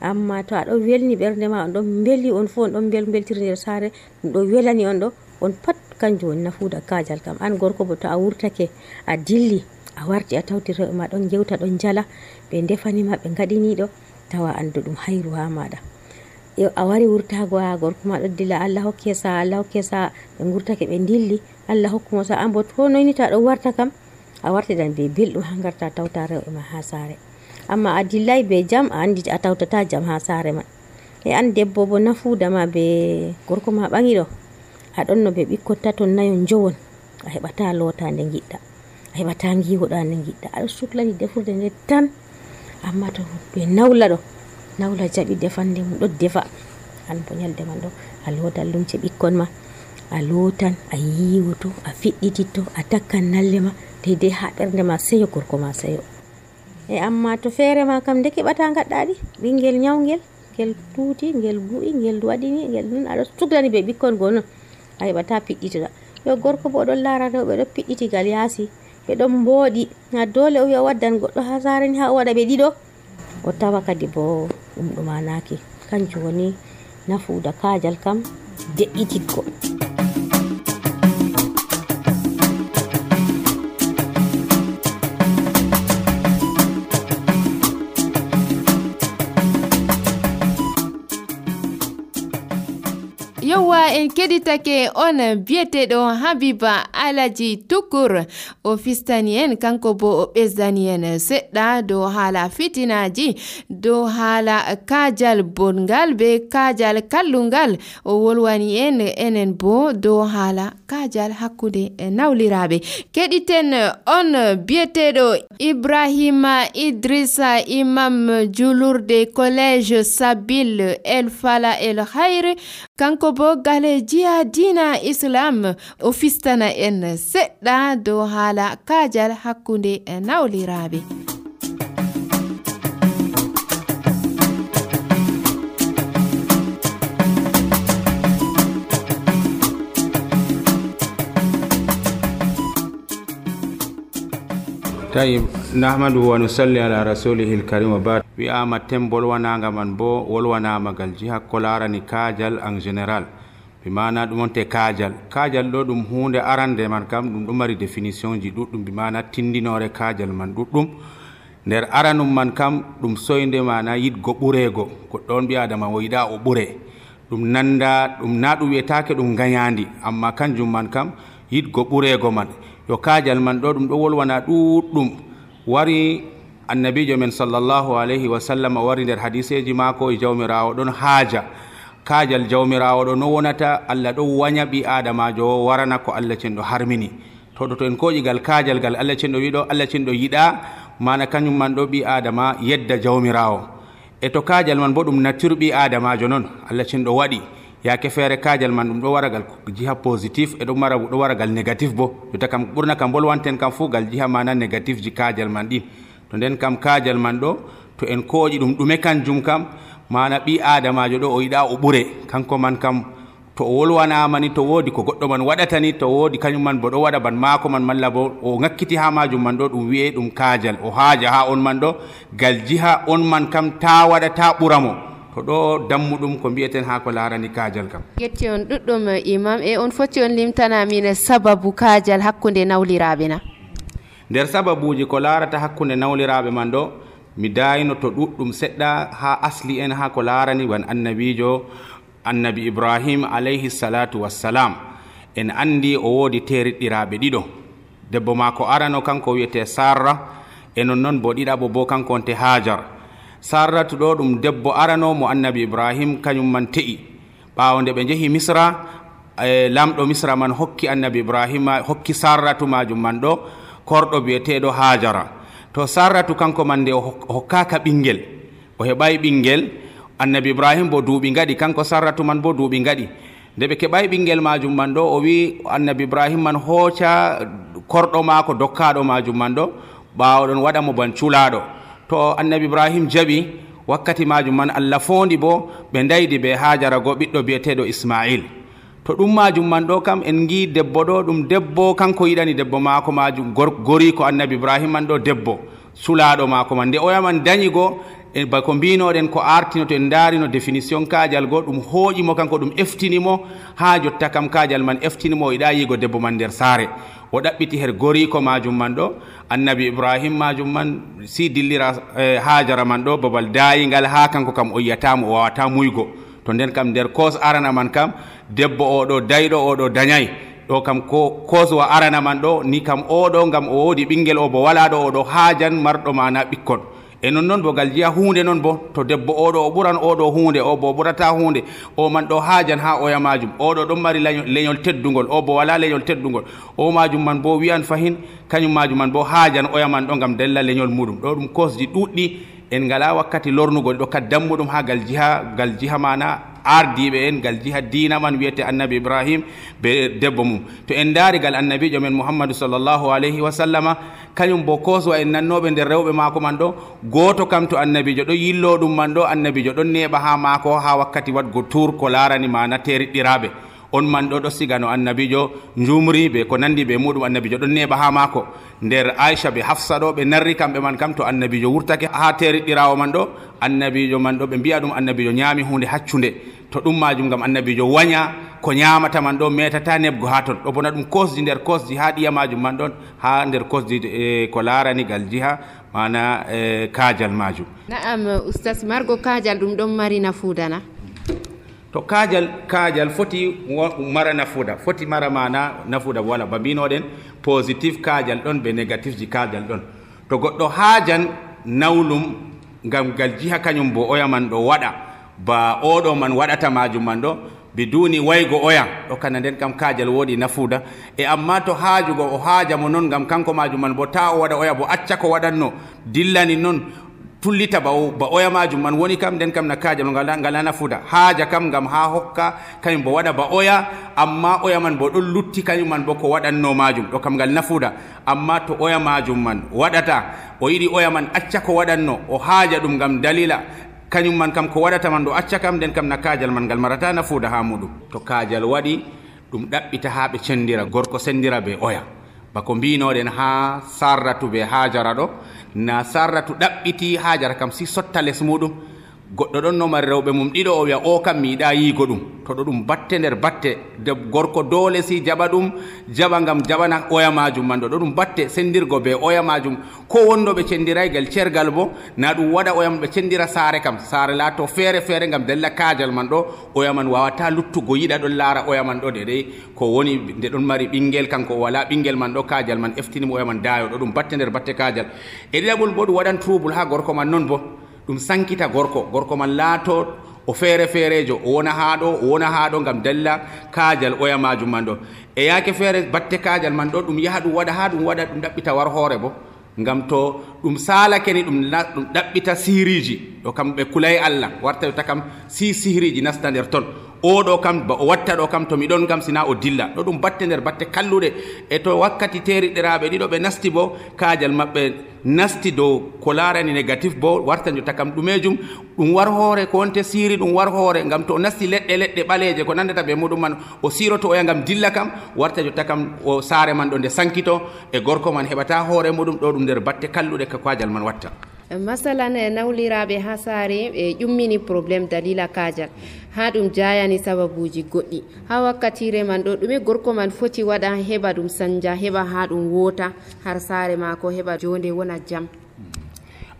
Amma to aɗon welni ɓernde ma on ɗon beli on fu on ɗon bel beltiri nder sare, ɗum ɗo welani on ɗo, on pat kanjum woni nafuda kajal kam. An gorko bo to a wurtake a dilli a warti a tawti rewɓe ma ɗon gewta ɗon jala, ɓe defanima ɓe gaɗini ɗo, tawa andu ɗum hayru ha maɗa. A wari wurtago ha gorko ma ɗo dilla, Allah hokke sa Allah hokke sa, ɓe gurtake ɓe dilli, Allah hokkumo sa, an bo to noyni to aɗon warta kam a wartidan be belɗum ha garta tawta rewɓe ma ha sare. Amma a dillay be jam a andi a tawtata jam ha sare man. E an debbo bo nafuda ma be gorko ma ɓangi ɗo, aɗon no ɓe ɓikkon taton nayon jowon, a heɓata lota nde giɗɗa, a heɓata giwoɗa nde giɗɗa, aɗo suklani defurde nde tan. Amma to ɓe nawla ɗo, nawla jaɓi defande mum ɗo defa, an bo nyalde man ɗo a lotan lumce ɓikkon ma, a lotan a yiwoto a fiɗɗititto a takkan nalle ma deidei ha ɓernde ma seyo, gorko ma seyo. E amma to feere ma kam nde keɓata gaɗɗaɗi, ɓingel nyawgel ngel tuuti ngel bu'i ngel waɗini ngel non aɗo suklani be ɓikkon go non, a heɓata piɗɗitira. Yo gorko bo ɗon lara rewɓe ɗo piɗɗitigal yaasi, ɓe ɗon mbooɗi, na dole o wi'a waddan goɗɗo ha sare ni ha o waɗa ɓe ɗiɗo, o tawa kadi bo ɗum ɗumanaki. Kanjum woni nafuda kajal kam de'ititgo. Yowa en keɗitake on biyeteɗo Habiba Alaji Tukur o fistani en kanko bo o ɓesdani en seɗɗa dow haala fitinaji, dow haala kajal bongal be kajal kallungal. O wolwani en enen bo dow haala kajal hakkude nawliraɓe. Keɗiten on biyeteɗo Ibrahima Idrissa Imam julurde collège Sabil El Fala El Khair, kanko bo gale jiya dina Islam o fistana en seɗɗa dow haala kajal hakkunde nawliraɓe. tayib nahmadu wa nusalli ala rasulihil karim wa ba'd. wi'ama tem bolwanaga man bo wolwanama gal jiha ko larani kajal en général bi mana ɗum on te kajal kajal ɗo ɗum hunde arande man kam ɗum ɗo mari définition ji ɗuɗɗum bi mana tindinore kajal man ɗuɗɗum nder aranum man kam ɗum soyde mana yidgo ɓurego goɗɗo on ɓi adama o yiɗa o ɓure ɗum nanda ɗum na ɗum wiyetake ɗum gayandi amma kanjum man kam yidgo ɓurego man yo kajal man ɗo ɗum ɗo wolwana ɗuɗɗum wari annabijo men sallallahu alayhi wa sallam wari nder hadiseji mako e jawmirawo ɗon haaja kajal jawmirawo ɗo no wonata Allah ɗo waña ɓi adamajo o warana ko Allah cenɗo harmini to ɗo to en koƴigal kajal gal Allah cenɗo wiɗo Allah cenɗo yiɗa mana kañum man ɗo ɓi adama yedda jawmirawo e to kajal man bo ɗum nature ɓi adamajo noon Allah cenɗo waɗi yake feere kajal man ɗum ɗo waragal jiha positif e ɗo mara ɗo waragal négatif bo jotta kam ɓurna kam bolwanten kam fuu gal jiha mana négatif ji kajal man ɗin to nden kam kajal man ɗo to en koƴi ɗum ɗume kanjum kam mana ɓi adamajo ɗo o yiɗa o ɓure kanko man kam to o wolwanamani to woodi ko goɗɗo man waɗatani to woodi kañum man bo ɗo waɗa ban maako man malla bo o ŋakkiti ha majum man ɗo ɗum wiye ɗum kajal o haaja ha on man ɗo gal jiha on man kam ta waɗa ta ɓuramo to ɗo dammuɗum ko mbiyeten ha ko larani kajal kam. yetti on ɗuɗɗum imam e on foti on limtanamine sababu kajal hakkude nawliraɓe na nder sababuji ko larata hakkude nawliraɓe man ɗo mi dayino to ɗuɗɗum seɗɗa ha asli en ha ko larani wan annabijo annabi ibrahim alayhi salatu wassalam en andi o woodi teriɗɗiraɓe ɗiɗo debbo mako arano kanko wiyete sarra e non noon bo ɗiɗaɓo bo kanko onte hajar sarratu ɗo ɗum debbo arano mo annabi ibrahim kañum man te'i ɓawo nde ɓe jeehi misra e lamɗo misra man hokki annabi ibrahima hokki sarratu majum man ɗo korɗo biyeteɗo hajara to sarratu kanko man nde o hokkaka ɓinguel o heɓay ɓinguel annabi ibrahim bo duuɓi gaɗi kanko sarratu man bo duuɓi gaɗi nde ɓe keɓay ɓinguel majum man ɗo o wi annabi ibrahim man hooca korɗo maako dokkaɗo majum man ɗo ɓawoɗon waɗa mo ban culaɗo to annabi ibrahim jaɓi wakkati majum man Allah fondi bo ɓe daydi ɓe hajara go ɓiɗɗo biyeteɗo ismail to ɗum majum man ɗo kam en gi debbo ɗo ɗum debbo kanko yiɗani debbo maako majum gori ko annabi ibrahim man ɗo debbo sulaɗo maako man nde oyaman dañi go e bako mbinoɗen ko artino to en darino définition kajal go ɗum hooƴimo kanko ɗum eftinimo ha jotta kam kajal man eftinimo o yiɗa yigo debbo man nder saare o ɗaɓɓiti her goriko majum man ɗo annabi ibrahim majum man si dillira eh, hajara man ɗo babal dayingal ha kanko kam o yiyatamo o wawata muygo to nden kam nder kos arana man kam debbo oɗo dayɗo oɗo dañay ɗo kam ko koswa arana man ɗo ni kam oɗo gam o woodi ɓinguel o bo wala ɗo oɗo haajan marɗo mana ɓikkon e non noon bo gal jiya hunde noon bo to debbo oɗo o ɓuran oɗo hunde o bo ɓurata hunde o man ɗo haajan ha oya majum oɗo ɗon mari leñol teddugol o bo wala leñol teddugol o majum man bo wiyan fahin kañum majum man bo haajan oya man ɗo gam della leñol muɗum ɗo ɗum kosji ɗuɗɗi en ngala wakkati lornugol ɗo kad dammuɗum ha gal jiha gal jiha mana ardiɓe en gal jiha dina man wiyete annabi ibrahim be debbo mum to en daari gal annabijo men muhammadu sallllahu alayhi wa sallama kañum bo koswa en nannoɓe nder rewɓe maako man ɗo goto kam to annabijo ɗo yillo ɗum man ɗo annabijo ɗon neɓa ha maako ha wakkati wadgo tour ko larani mana teriɗɗiraɓe on man ɗo ɗo siga no annabijo jumri ɓe ko nandi ɓe muɗum annabijo ɗon neɓa ha maako nder aicha ɓe hafsa ɗo ɓe narri kamɓe man kam to annabijo wurtake ha teriɗɗirawo man ɗo annabijo man ɗo ɓe mbiya ɗum annabijo ñaami hunde haccude to ɗum majum gam annabijo waña ko ñamata man ɗo metata nebgo ha ton ɗo bona ɗum kosji nder kosji ha ɗiya majum man ɗon ha nder kosji e ko larani gal jiha mana e kajal majum. Naam oustas margo kajal ɗum ɗon mari nafudana to kajal kajal foti mara nafuda foti mara mana nafuda wala babinoɗen positif kajal ɗon be négatif ji kajal ɗon to goɗɗo haajan nawlum gam gal jiha kañum bo oya man ɗo waɗa ba oɗo man waɗata majum man ɗo biduni waygo oya ɗo kana nden kam kajal woodi nafuda e amma to haajugo o haaja mo noon gam kanko majum man bo ta o waɗa oya bo acca ko waɗanno dillani noon tullita ba ba oya majum man woni kam nden kam na kajal ngala ngala nafuda haaja kam gam ha hokka kañum bo waɗa ba oya amma oya man bo ɗon lutti kañum man bo ko waɗanno majum ɗo kam ngal nafuda amma to oya majum man waɗata o yiɗi oya man acca ko waɗanno o haaja ɗum gam dalila kañum man kam ko waɗata man ɗo acca kam nden kam na kajal man ngal marata nafuda ha muɗum to kajal waɗi ɗum ɗaɓɓita ha ɓe cendira gorko sendira be oya bako mbinoɗen ha sarratu be hajara ɗo na sarratu ɗaɓɓiti hajara kam si sotta les muɗum goɗɗo ɗon no mari rewɓe mum ɗiɗo o wiya o kam mi yiɗa yiigo ɗum to ɗo ɗum batte nder batte de gorko dole si jaɓa ɗum jaɓa ngam jaɓana oya majum man ɗo ɗo ɗum batte sendirgo be oya majum ko wonno ɓe cendiraygal cergal bo na ɗum waɗa oya man ɓe cendira saare kam saare laato feere feere ngam della kaajal man ɗo oya man wawata luttugo yiɗa ɗon laara oya man ɗo deɗey ko woni nde ɗon mari ɓinguel kanko o wala ɓinguel man ɗo kaajal man eftinimo oya man daayo ɗo ɗum batte nder batte kaajal e ɗiɗaɓol bo ɗum waɗan trouble ha gorko man non bo ɗum sankita gorko gorko man laato o feere feerejo o wona haa ɗo o wona haa ɗo ngam dalla kaajal oya majum man ɗo e yaake feere batte kaajal man ɗo ɗum yaha ɗum waɗa haa ɗum waɗa ɗum ɗaɓɓita war hoore bo ngam to ɗum saalake ni ɗum ɗum ɗaɓɓita siriji ɗo kam ɓe kulay Allah warta yotta kam si siriji nasta nder ton oɗo kam ba o watta ɗo kam to miɗon kam sina o dilla ɗo ɗum batte nder batte kalluɗe e to wakkati teriɗiraɓe ɗiɗo ɓe nasti bo kaajal maɓɓe nasti dow ko larani négatif bo warta jotta kam ɗumejum ɗum war hoore ko wonte siri ɗum war hoore ngam to o nasti leɗɗe leɗɗe ɓaleje ko nandata ɓe muɗum man o siroto oya ngam dilla kam warta jotta kam o saare man ɗo nde sankito e gorko man heɓata hoore muɗum ɗo ɗum nder batte kalluɗe ka kaajal man watta masalan e nawliraɓe ha saare ɓe ƴummini probléme dalila kaajal ha ɗum jayani sababuji goɗɗi ha wakkatire man ɗo ɗume gorko man foti waɗa heɓa ɗum sanja heɓa ha ɗum wota har saare mako heɓa jonde wona jam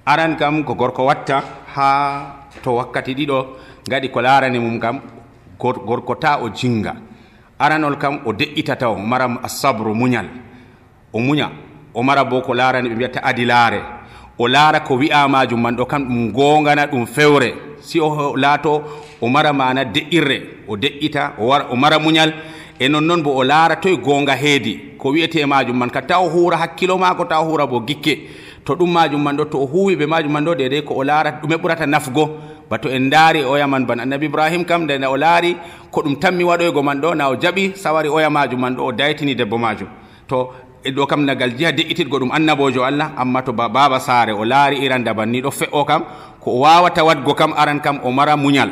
aran kam ko gorko watta ha to wakkati ɗiɗo gaɗi ko larani mum kam gorko ta o jinga aranol kam o de'itata o mara asabru muñal o muña o mara bo ko larani ɓe mbiyata adilare o laara ko wi'a majum man ɗo kam ɗum gongana ɗum fewre si o laato o mara mana de'irre o de'ita o wara o mara muñal e nonnoon bo o laara toye gonga heedi ko wi'ete majum man ka ta o huura hakkilo maako ta o huura bo gikke to ɗum majum man ɗo to o huwi ɓe majum man ɗo dede ko o laara ɗume ɓurata nafgo bato en daari oya man ban annabi ibrahim kam nde o laari ko ɗum tammi waɗoygo man ɗo na o jaɓi sawari oya majum man ɗo o daytini debbo majum to e ɗo kam nagal jiha de'ititgo ɗum annabojo Allah amma to ba baba saare o laari iran daban ni ɗo fe'o kam ko o wawata wadgo kam aran kam o mara muñal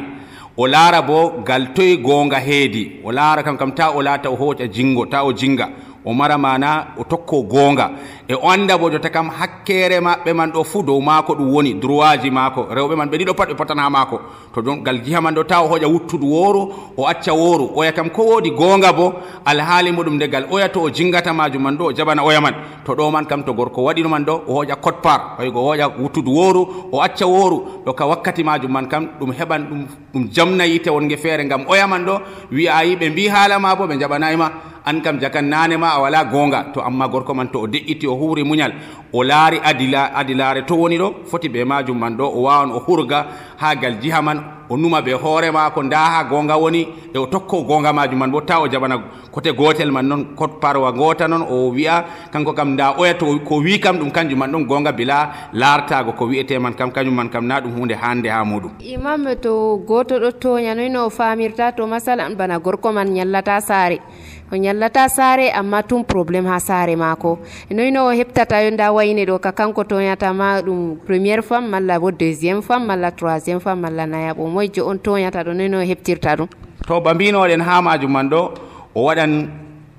o laara bo gal toye gonga heedi o laara kam kam ta o laata o hoƴa jingo ta o jinga o mara mana o tokko gonga e o anda bo jotta kam hakkere maɓɓe man ɗo fuu dow maako ɗum woni droit ji maako rewɓe man ɓe ɗiɗo pat ɓe potan ha maako to ɗon gal jiha man ɗo ta o hoƴa wuttudu wooru o acca wooru oya kam ko woodi gonga bo alhaali muɗum nde gal oya to o jingata majum man ɗo o jaɓana oya man to ɗo man kam to gorko waɗino man ɗo o hoƴa code part oygo o hoƴa wuttudu wooru o acca wooru ɗo ka wakkati majum man kam ɗum heɓan ɗum ɗum jamna yite wonge feere ngam oya man ɗo wi'a yi ɓe mbi haala ma bo ɓe jaɓanayima an kam jakan nane ma a wala gonga to amma gorko man to o de'iti o huuri muñal o laari adila adilare to woni ɗo foti be majum man ɗo o wawan o hurga ha gal jiha man o numa be hoore maako nda ha gonga woni e o tokko gonga majum man bo ta o jaɓana côté gotel man noon cote parwa gota noon o wi'a kanko kam nda oya to ko wi kam ɗum kanjum man ɗon gonga bila lartago ko wi'ete man kam kañum man kam na ɗum hunde hande ha muɗum imam to goto ɗo toña noyno o famirta to masalan bana gorko man ñallata saare o ñallata saare amma tum probléme ha saare maako noyno o heɓtata yo nda wayne ɗo ka kanko toñatama ɗum premiére femme malla bo deuxiéme femme malla troisiéme femme malla nayaɓo moyjo on toñata ɗo noyno o heɓtirta ɗum to ba mbinoɗen ha majum man ɗo o waɗan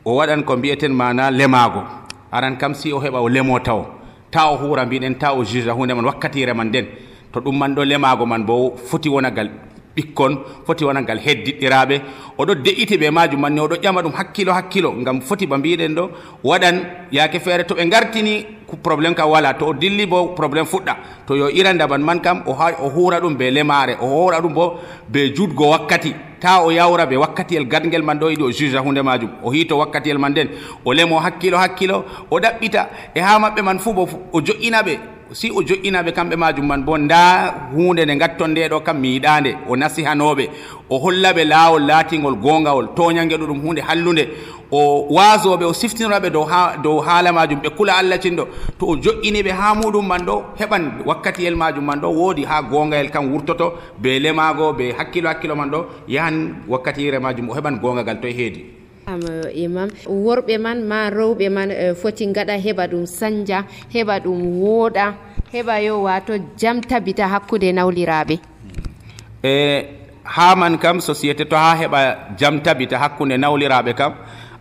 o waɗan ko mbiyeten mana lemago aran kam si o heɓa o lemo taw ta o huura mbiɗen ta o juge hunde man wakkatire man nden to ɗum man ɗo lemago man bo foti wonagal ɓikkon foti wonangal heddiɗɗiraɓe oɗo de'iti ɓe majum manni oɗo ƴama ɗum hakkilo hakkilo ngam foti ba mbiɗen ɗo waɗan yaake feere to ɓe gartini probléme kam wala to o dilli bo probléme fuɗɗa to yo irandaban man kam o huura ɗum be lemare o huura ɗum bo be jutgo wakkati ta o yawra be wakkatiyel gadgel man ɗo yiɗi o juge hunde majum o hito wakkatiyel man nden o lemo hakkilo hakkilo o ɗaɓɓita e ha maɓɓe man fuu bo o joƴƴinaɓe si o joƴƴinaɓe kamɓe majum man bo nda hunde nde gatton nde ɗo kam mi yiɗande o nasihanoɓe o hollaɓe laawol laatingol gongawol toñange ɗo ɗum hunde hallude o wasoɓe o siftinoraɓe dow ha dow haala majum ɓe kula Allah cinɗo to o joƴƴiniɓe ha muɗum man ɗo heɓan wakkatiyel majum man ɗo woodi ha gongayel kam wurtoto be lemago be hakkilo hakkilo man ɗo yahan wakkatire majum o heɓan gongagal to e heedi imam worɓe man ma rewɓe man foti gaɗa heɓa ɗum sanja heɓa ɗum wooɗa heɓa yo wato jam tabita hakkude nawliraɓe e ha man kam société to ha heɓa jam tabita hakkude nawliraɓe kam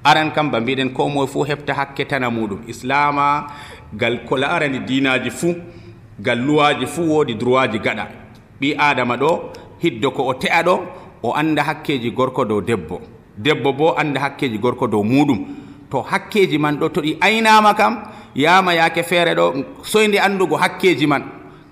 aran kam ba mbiɗen ko moye fuu heɓta hakke tana muɗum. Islama gal ko larani dinaji fuu gal luwaji fuu woodi droit ji gaɗa. ɓi adama ɗo hiddo ko o te'a ɗo o anda hakkeji gorko dow debbo, debbo bo anda hakkeji gorko dow muɗum. To hakkeji man ɗo to ɗi aynama kam yama yake feere ɗo soyde andugo hakkeji man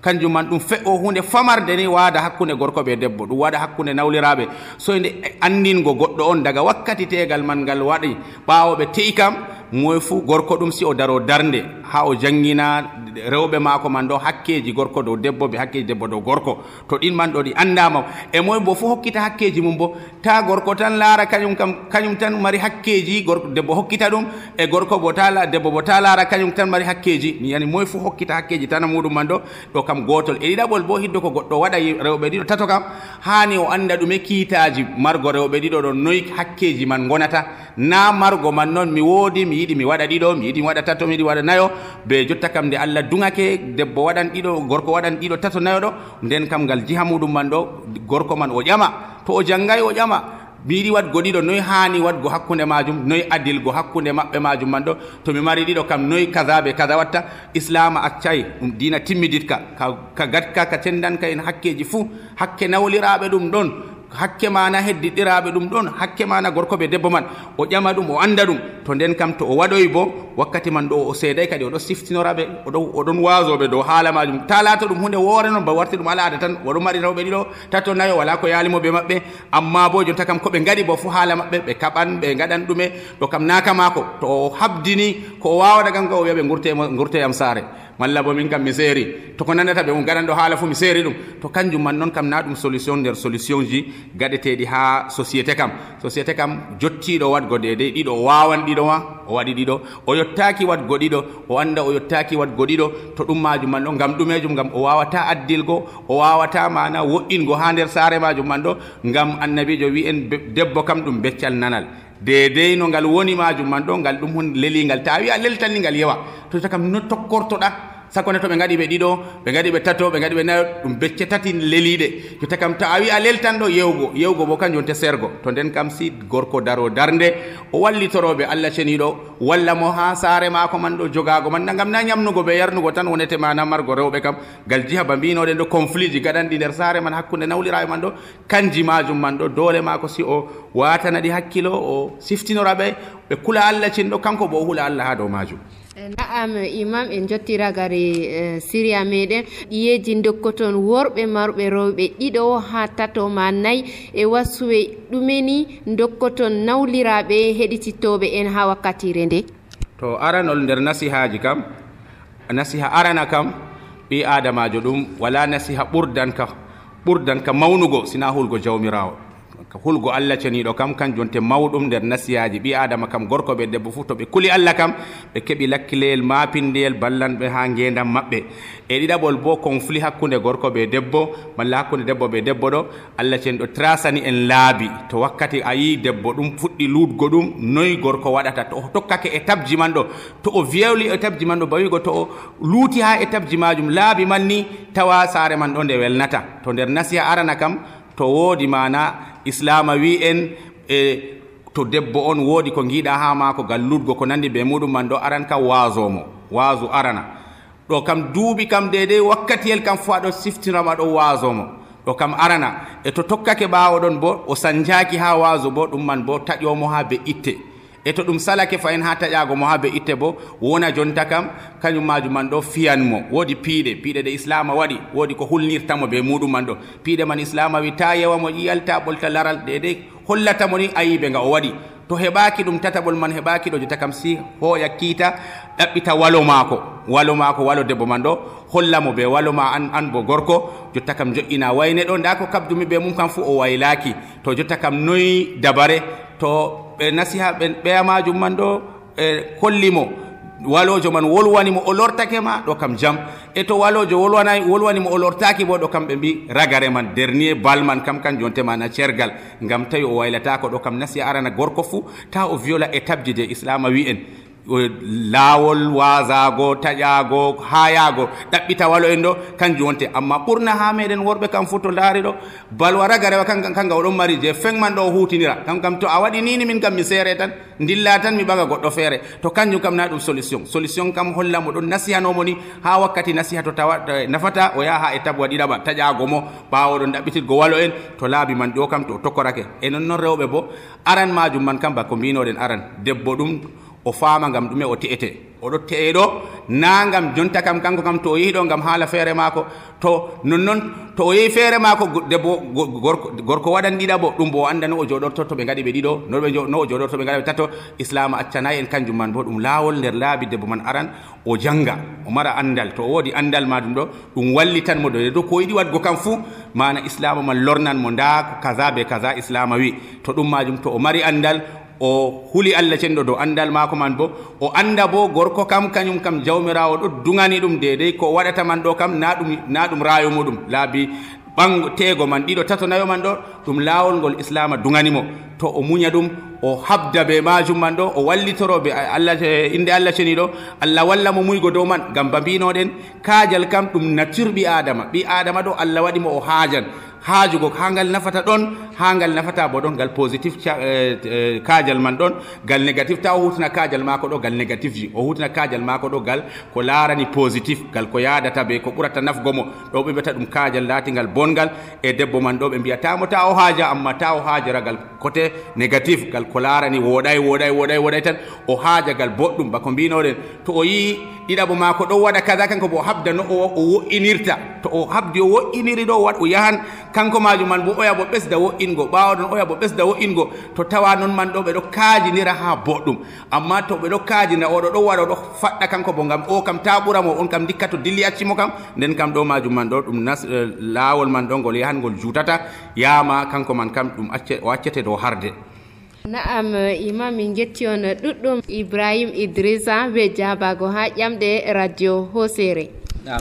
kanjum man ɗum fe'o hunde famarde ni waada hakkunde gorko ɓe debbo, ɗum waɗa hakkunde nawliraɓe soyde andingo goɗɗo on daga wakkati tegal man ngal waɗi ɓawo ɓe te'i kam moye fuu gorko ɗum si o daro darde ha o jangina rewɓe maako man ɗo hakkeji gorko dow debbo ɓe hakkeji debbo dow gorko. To ɗin man ɗo ɗi andama e moye bo fuu hokkita hakkeji mum bo ta gorko tan laara kañum kam kañum tan mari hakkeji gorko debbo hokkita ɗum e gorko bo ta debbo bo ta laara kañum tan mari hakkeji mi yani moye fuu hokkita hakkeji tan muɗum man ɗo ɗo kam gotol. E ɗiɗaɓol bo hiddo ko goɗɗo waɗa rewɓe ɗiɗo tato kam hani o anda ɗume kiitaji margo rewɓe ɗiɗo ɗo noyi hakkeji man gonata na margo man noon mi woodi mi yiɗi mi waɗa ɗiɗo mi yiɗi mi waɗa tato mi yiɗi waɗa nayo be jotta kam nde Allah dungake debbo waɗan ɗiɗo gorko waɗan ɗiɗo tato nayo ɗo nden kam ngal jiha muɗum man ɗo gorko man o ƴama to o janngay o ƴama mi yiɗi waɗgo ɗiɗo noyi hani waɗgo hakkunde majum noyi adilgo hakkunde maɓɓe majum man ɗo to mi mari ɗiɗo kam noyi kaza be kaza watta. Islama accay ɗum dina timmiditka ka gatka ka cendanka en hakkeji fuu hakke nawliraɓe ɗum ɗon hakke mana heddiɗiraɓe ɗum ɗon hakke mana gorko ɓe debbo man o ƴama ɗum o anda ɗum to nden kam to o waɗoyi bo wakkati man ɗo o seeday kadi oɗo siftinoraɓe oɗon wasoɓe dow haala majum ta laata ɗum hunde woore noon ba warti ɗum alaada tan oɗo mari rewɓe ɗiɗo tato nayo wala ko yaalimo ɓe maɓɓe amma bo jonta kam koɓe gaɗi bo fo haala maɓɓe ɓe kaɓan ɓe gaɗan ɗume ɗo kam naka mako to o habdini ko o wawata kam ka o wiya ɓe gurteyam saare malla bo min kam mi seeri to ko nandata ɓe um gaɗan ɗo haala fuu mi seeri ɗum to kanjum man noon kam na ɗum solution nder solution ji gaɗeteɗi ha société kam société kam jottiɗo waɗgo dedey ɗiɗo o wawan ɗiɗo ma o waɗi ɗiɗo o yottaki waɗgo ɗiɗo o anda o yottaki waɗgo ɗiɗo to ɗum majum man ɗo ngam ɗumejum ngam o wawata addilgo o wawata mana wo'ingo ha nder saare majum man ɗo ngam annabijo wi en debbo kam ɗum beccal nanal dedey no ngal woni majum man ɗo ngal ɗum hun lelingal ta wi a leltanni ngal yewa to takam no tokkortoɗa sakone to ɓe gaɗi ɓe ɗiɗo ɓe gaɗi ɓe tato ɓe gaɗi ɓe nayo ɗum becce tati leliɗe jotta kam to a wi a leltan ɗo yewgo yewgo bo kanjum te sergo to nden kam si gorko daro darde o wallitoroɓe Allah ceniɗo walla mo ha saare maako man ɗo jogago man ngam na ñamnugo ɓe yarnugo tan wonete mana margo rewɓe kam gal jiha ba mbinoɗen ɗo conflit ji gaɗanɗi nder saare man hakkude nawliraɓe man ɗo kanji majum man ɗo dole maako si o watanaɗi hakkilo o siftinoraɓe ɓe kula Allah cinɗo kanko bo o hula Allah ha dow majum. Na'am imam en jottira gari siriya meɗen ɗiyeji dokkoton worɓe marɓe rewɓe ɗiɗo ha tato ma nayyi e wasuwe ɗumeni dokkoton nawliraɓe heɗitittoɓe en ha wakkatire nde. To aranol nder nasihaji kam nasiha arana kam ɓi adamajo ɗum wala nasiha ɓurdan ka ɓurdan ka mawnugo sina hulgo jawmirawo hulgo Allah ceniɗo kam kanjum te mawɗum nder nasiyaji ɓi adama kam gorko ɓe debbo fuu to ɓe kuli Allah kam ɓe keɓi lakkileyel mapindeyel ballanɓe ha ngendam maɓɓe. E ɗiɗaɓol bo conflit hakkude gorko ɓe debbo malla hakkude debbo ɓe debbo ɗo Allah ceniɗo trasani en laabi to wakkati a yi debbo ɗum fuɗɗi luutgo ɗum noyi gorko waɗata to o tokkake étape ji man ɗo to o viewli étape ji man ɗo bawigo to o luuti ha étape ji majum laabi man ni tawa saare man ɗo nde welnata. To nder nasiha arana kam to woodi mana Islama wi en e to debbo on woodi ko giiɗa ha maako gal lutgo ko nandi be muɗum man ɗo aran kam waasomo waasu arana ɗo kam duuɓi kam dedei wakkatiyel kam fo aɗo siftinama ɗo waasomo ɗo kam arana e to tokkake ɓaawo ɗon bo o sanjaki ha waasu bo ɗum man bo taƴomo ha be itte e to ɗum salake fayin ha taƴago mo ha be itte bo wona jonta kam kañum majum man ɗo fiyanmo woodi piiɗe piiɗe ɗe Islama waɗi woodi ko hulnirtamo be muɗum man ɗo piiɗe man Islama wi ta yewamo ƴiyal ta ɓolta laral dedei hollatamo ni ayiɓe nga o waɗi to heɓaki ɗum tataɓol man heɓaki ɗo jotta kam si hoya kiita ɗaɓɓita walo maako walo maako walo debbo man ɗo hollamo be walo ma an an bo gorko jotta kam joƴƴina wayne ɗo nda ko kabdumi be mum kam fu o waylaki to jotta kam noyi dabare to ɓe nasiha ɓe ɓeya majum man ɗo e hollimo walojo man wolwanimo o lortake ma ɗo kam jam e to walojo wolwanayi wolwanimo o lortaki bo ɗo kam ɓe mbi ragare man dernier bal man kam kanjum temana cergal ngam tawi o waylatako ɗo kam nasiha arana gorko fuu ta o viola étape ji de Islama wi en laawol wasago taƴago hayago ɗaɓɓita walo en ɗo kanjum wonte amma ɓurna ha meɗen worɓe kam fu to laari ɗo balwa raga rewa kanga kanga oɗon mari je fengman ɗo o hutinira kam kam to a waɗi nini min kam mi seere tan dilla tan mi ɓaga goɗɗo feere to kanjum kam na ɗum solution solution kam holla mo ɗon nasihanomo ni ha wakkati nasiha to tawa nafata o yaha ha étape waɗiɗaɓa taƴago mo ɓawo ɗon ɗaɓɓitirgo walo en to laabi man ɗo kam to o tokkorake e non noon rewɓe bo aran majum man kam bako mbinoɗen aran debbo ɗum o faama ngam ɗume o te'ete oɗo te'e ɗo na ngam jonta kam kanko kam to o yehi ɗo ngam haala feere maako to nonnoon to o yehi feere maako debbo gorko gorko waɗan ɗiɗaɓo ɗum bo o anda no o joɗorto to ɓe gaɗi ɓe ɗiɗo no o joɗorto ɓe gaɗi ɓe tato islam accanayi en kanjum man bo ɗum laawol nder laabi debbo man aran o janga o mara andal to o woodi andal majum ɗo ɗum wallitan mo ɗo ko yiɗi waɗgo kam fuu mana islama man lornan mo nda kaza be kaza islama wi to ɗum majum to o mari andal o huli Allah cenɗo dow andal maako man bo o anda bo gorko kam kañum kam jawmirawo ɗo dugani ɗum dedei ko waɗata man ɗo kam na ɗum na ɗum raayo muɗum laabi ɓango teego man ɗiɗo tato nayo man ɗo ɗum laawol ngol islama duganimo to o muña ɗum o habda be majum man ɗo o wallitoro be Allah inde Allah ceni ɗo Allah walla mo muygo dow man ngam ba mbinoɗen kaajal kam ɗum nature ɓi adama ɓi adama ɗo Allah waɗi mo o haajan haajugo ha ngal nafata ɗon ha ngal nafata bo ɗon ngal positif kaajal man ɗon ngal négatif ta o hutana kaajal maako ɗo ngal négatif ji o hutana kaajal maako ɗo ngal ko laarani positif ngal ko yadata be ko ɓurata nafgo mo ɗo ɓe mbiyata ɗum kaajal laatingal bongal e debbo man ɗo ɓe mbiyatamo ta o haaja amma ta o haajara ngal côté négatif ngal ko laarani woɗay woɗay woɗay woɗay tan o haaja ngal boɗɗum bako mbinoɗen to o yii ɗiɗaɓo maako ɗo waɗa kaza kanko bo o habda no o wo'inirta to o habdi o wo'iniri ɗo waɗ o yahan kanko majum man bo oya bo ɓesda wo'ingo ɓawo ɗon oya bo ɓesda wo'ingo to tawa noon man ɗo ɓe ɗo kaajinira ha boɗɗum amma to ɓe ɗo kaajina oɗo ɗo waɗa ɗo faɗɗa kanko bo ngam o kam ta ɓuramo on kam dikka to dilli accimo kam nden kam ɗo majum man ɗo ɗum nas laawol man ɗo ngol yahan ngol jutata yama kanko man kam ɗum acce o accete dow harde. Naam imam min getti on ɗuɗɗum Ibrahim Idrissa be jabago ha ƴamɗe radio Hosere.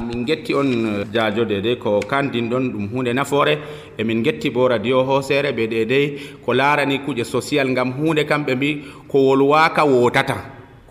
min getti on jaajo dede ko kandin ɗon ɗum hunde nafoore e min getti bo radio Hosere ɓe dedei ko laarani kuje social ngam hunde kam ɓe mbi ko wolwaka wotata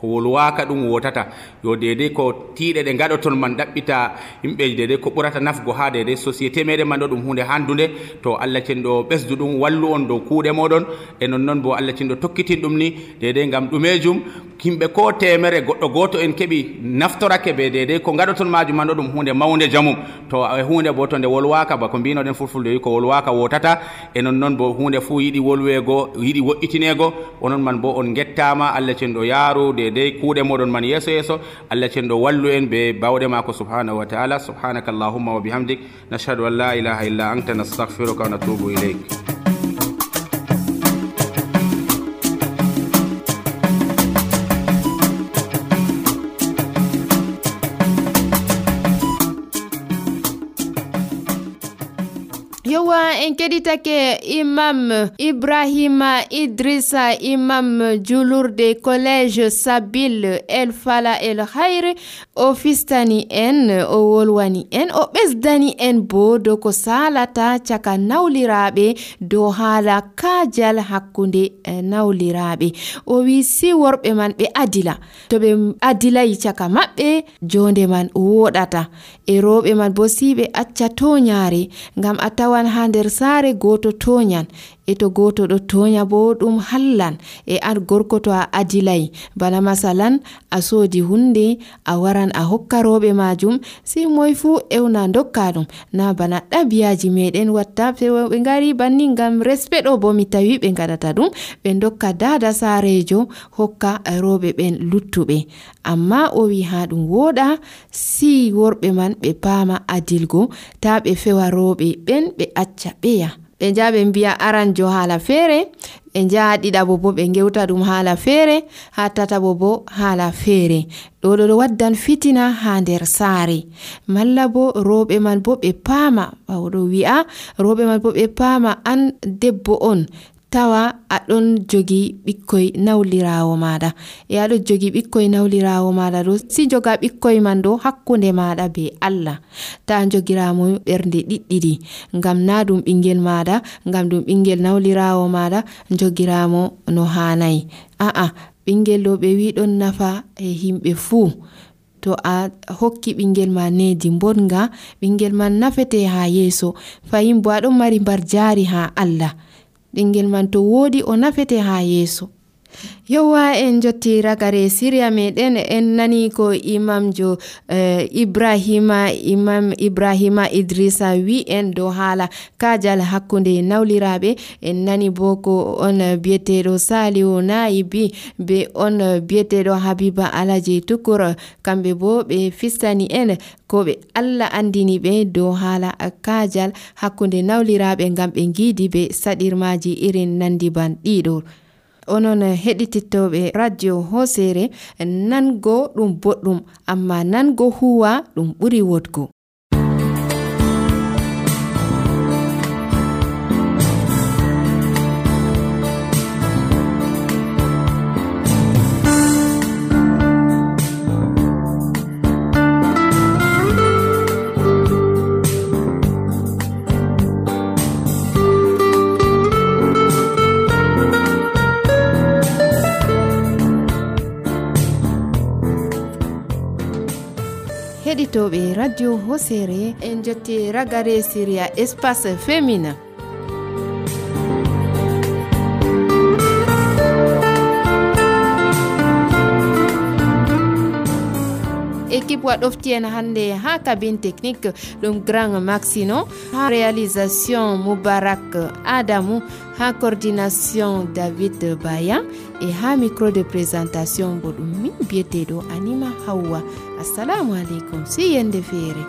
ko wolwaka ɗum wotata yo dedei ko tiiɗe ɗe gaɗoton man ɗaɓɓita yimɓe dedei ko ɓurata nafgo ha dedei société meɗen man ɗo ɗum hunde handude to Allah cenɗo ɓesdu ɗum wallu on dow kuuɗe moɗon e nonnoon bo Allah cenɗo tokkitin ɗum ni dedei ngam ɗumejum yimɓe ko temere goɗɗo goto en keɓi naftorake ɓe dedei ko gaɗoton majum man ɗo ɗum hunde mawde jamum to e hunde bo to nde wolwaka bako mbinoɗen fulfulde wi ko wolwaka wotata e nonnoon bo hunde fuu yiɗi wolwego yiɗi woƴƴitinego onon man bo on gettama Allah cenɗo yaaru dedei kuuɗe moɗon man yeeso yeeso Allah cenɗo wallu en be bawɗe mako subhanahu wa ta'ala subhanaka allahumma wa bihamdik nashhadu an la ilaha illa anta nastaghfiruka wa natubu ilayk. yowa en keɗitake imam Ibrahima Idrissa imam julurde collège Sabil El Fala El Hayre o fistani en o wolwani en o ɓesdani en bo do ko salata caka nawliraɓe dow haala kaajal hakkunde nawliraɓe o wi si worɓe man ɓe adila to ɓe adilayi caka maɓɓe jonde man woɗata e rewɓe man bo si ɓe acca toñaare ngam a tawan ha nder saare goto toñan e to goto ɗo toña bo ɗum hallan e an gorko to a adilay bana masalan a soodi hunde a waran a hokka rewɓe majum si moy fu ewna dokka ɗum na bana ɗabiyaji meɗen watta ɓe ngari banni ngam respect ɗo bo mi tawi ɓe gaɗata ɗum ɓe dokka dada saarejo hokka rewɓe ɓen luttuɓe amma o wi ha ɗum woɗa si worɓe man ɓe paama adilgo ta ɓe fewa rewɓe ɓen ɓe acca ɓeya ɓe nja ɓe mbiya aranjo haala feere ɓe nja ɗiɗaɓo bo ɓe gewta ɗum haala feere ha tataɓo bo haala feere ɗo ɗo waddan fitina ha nder saare malla bo rewɓe man bo ɓe paama ɓawɗo wi'a rewɓe man bo ɓe paama an debbo on tawa aɗon jogi ɓikkoy nawlirawo maɗa e aɗon jogi ɓikkoy nawlirawo maɗa ɗo si joga ɓikkoy man ɗo hakkunde maɗa be Allah ta jogiramo ɓernde ɗiɗɗiɗi ngam na ɗum ɓingel maɗa ngam ɗum ɓingel nawlirawo maɗa jogiramo no hanayi a'a ɓingel ɗo ɓe wi ɗon nafa e himɓe fuu. To a hokki ɓingel ma nedi bonga, ɓingel man nafete ha yeso. Fayin bo aɗon mari mbar jari ha Allah. Ɓingel man to wodi o nafete ha yeso. Yowa en jotti ragare Syria meɗen en nani ko imamjo eh, Ibrahima imam Ibrahima Idrissa wi en do hala kajal hakkunde nawliraɓe. En nani bo ko on biyeteɗo Saliu Naibi be on biyeteɗo Habiba Alaji Tukur, kamɓe bo ɓe fistani en ko ɓe Allah andini ɓe do hala kajal hakkunde nawliraɓe ngam ɓe gidi be saɗirmaji irin nandi ban ɗiɗo. Onon heɗitittoɓe radio Hosere, nango ɗum boɗɗum amma nango huwa ɗum ɓuri wodgo. Heɗitoɓe radio Hosere en jotti ragare Syria espace féminin. Équipe waɗoftienne hande ha cabine technique ɗum Grand Maxino, ha réalisation Moubarak Adamou, ha coordination David Bayan et ha micro de présentation bo ɗum min biyeteɗo Anima Hawa. Assalamu alaikum, si yende feere.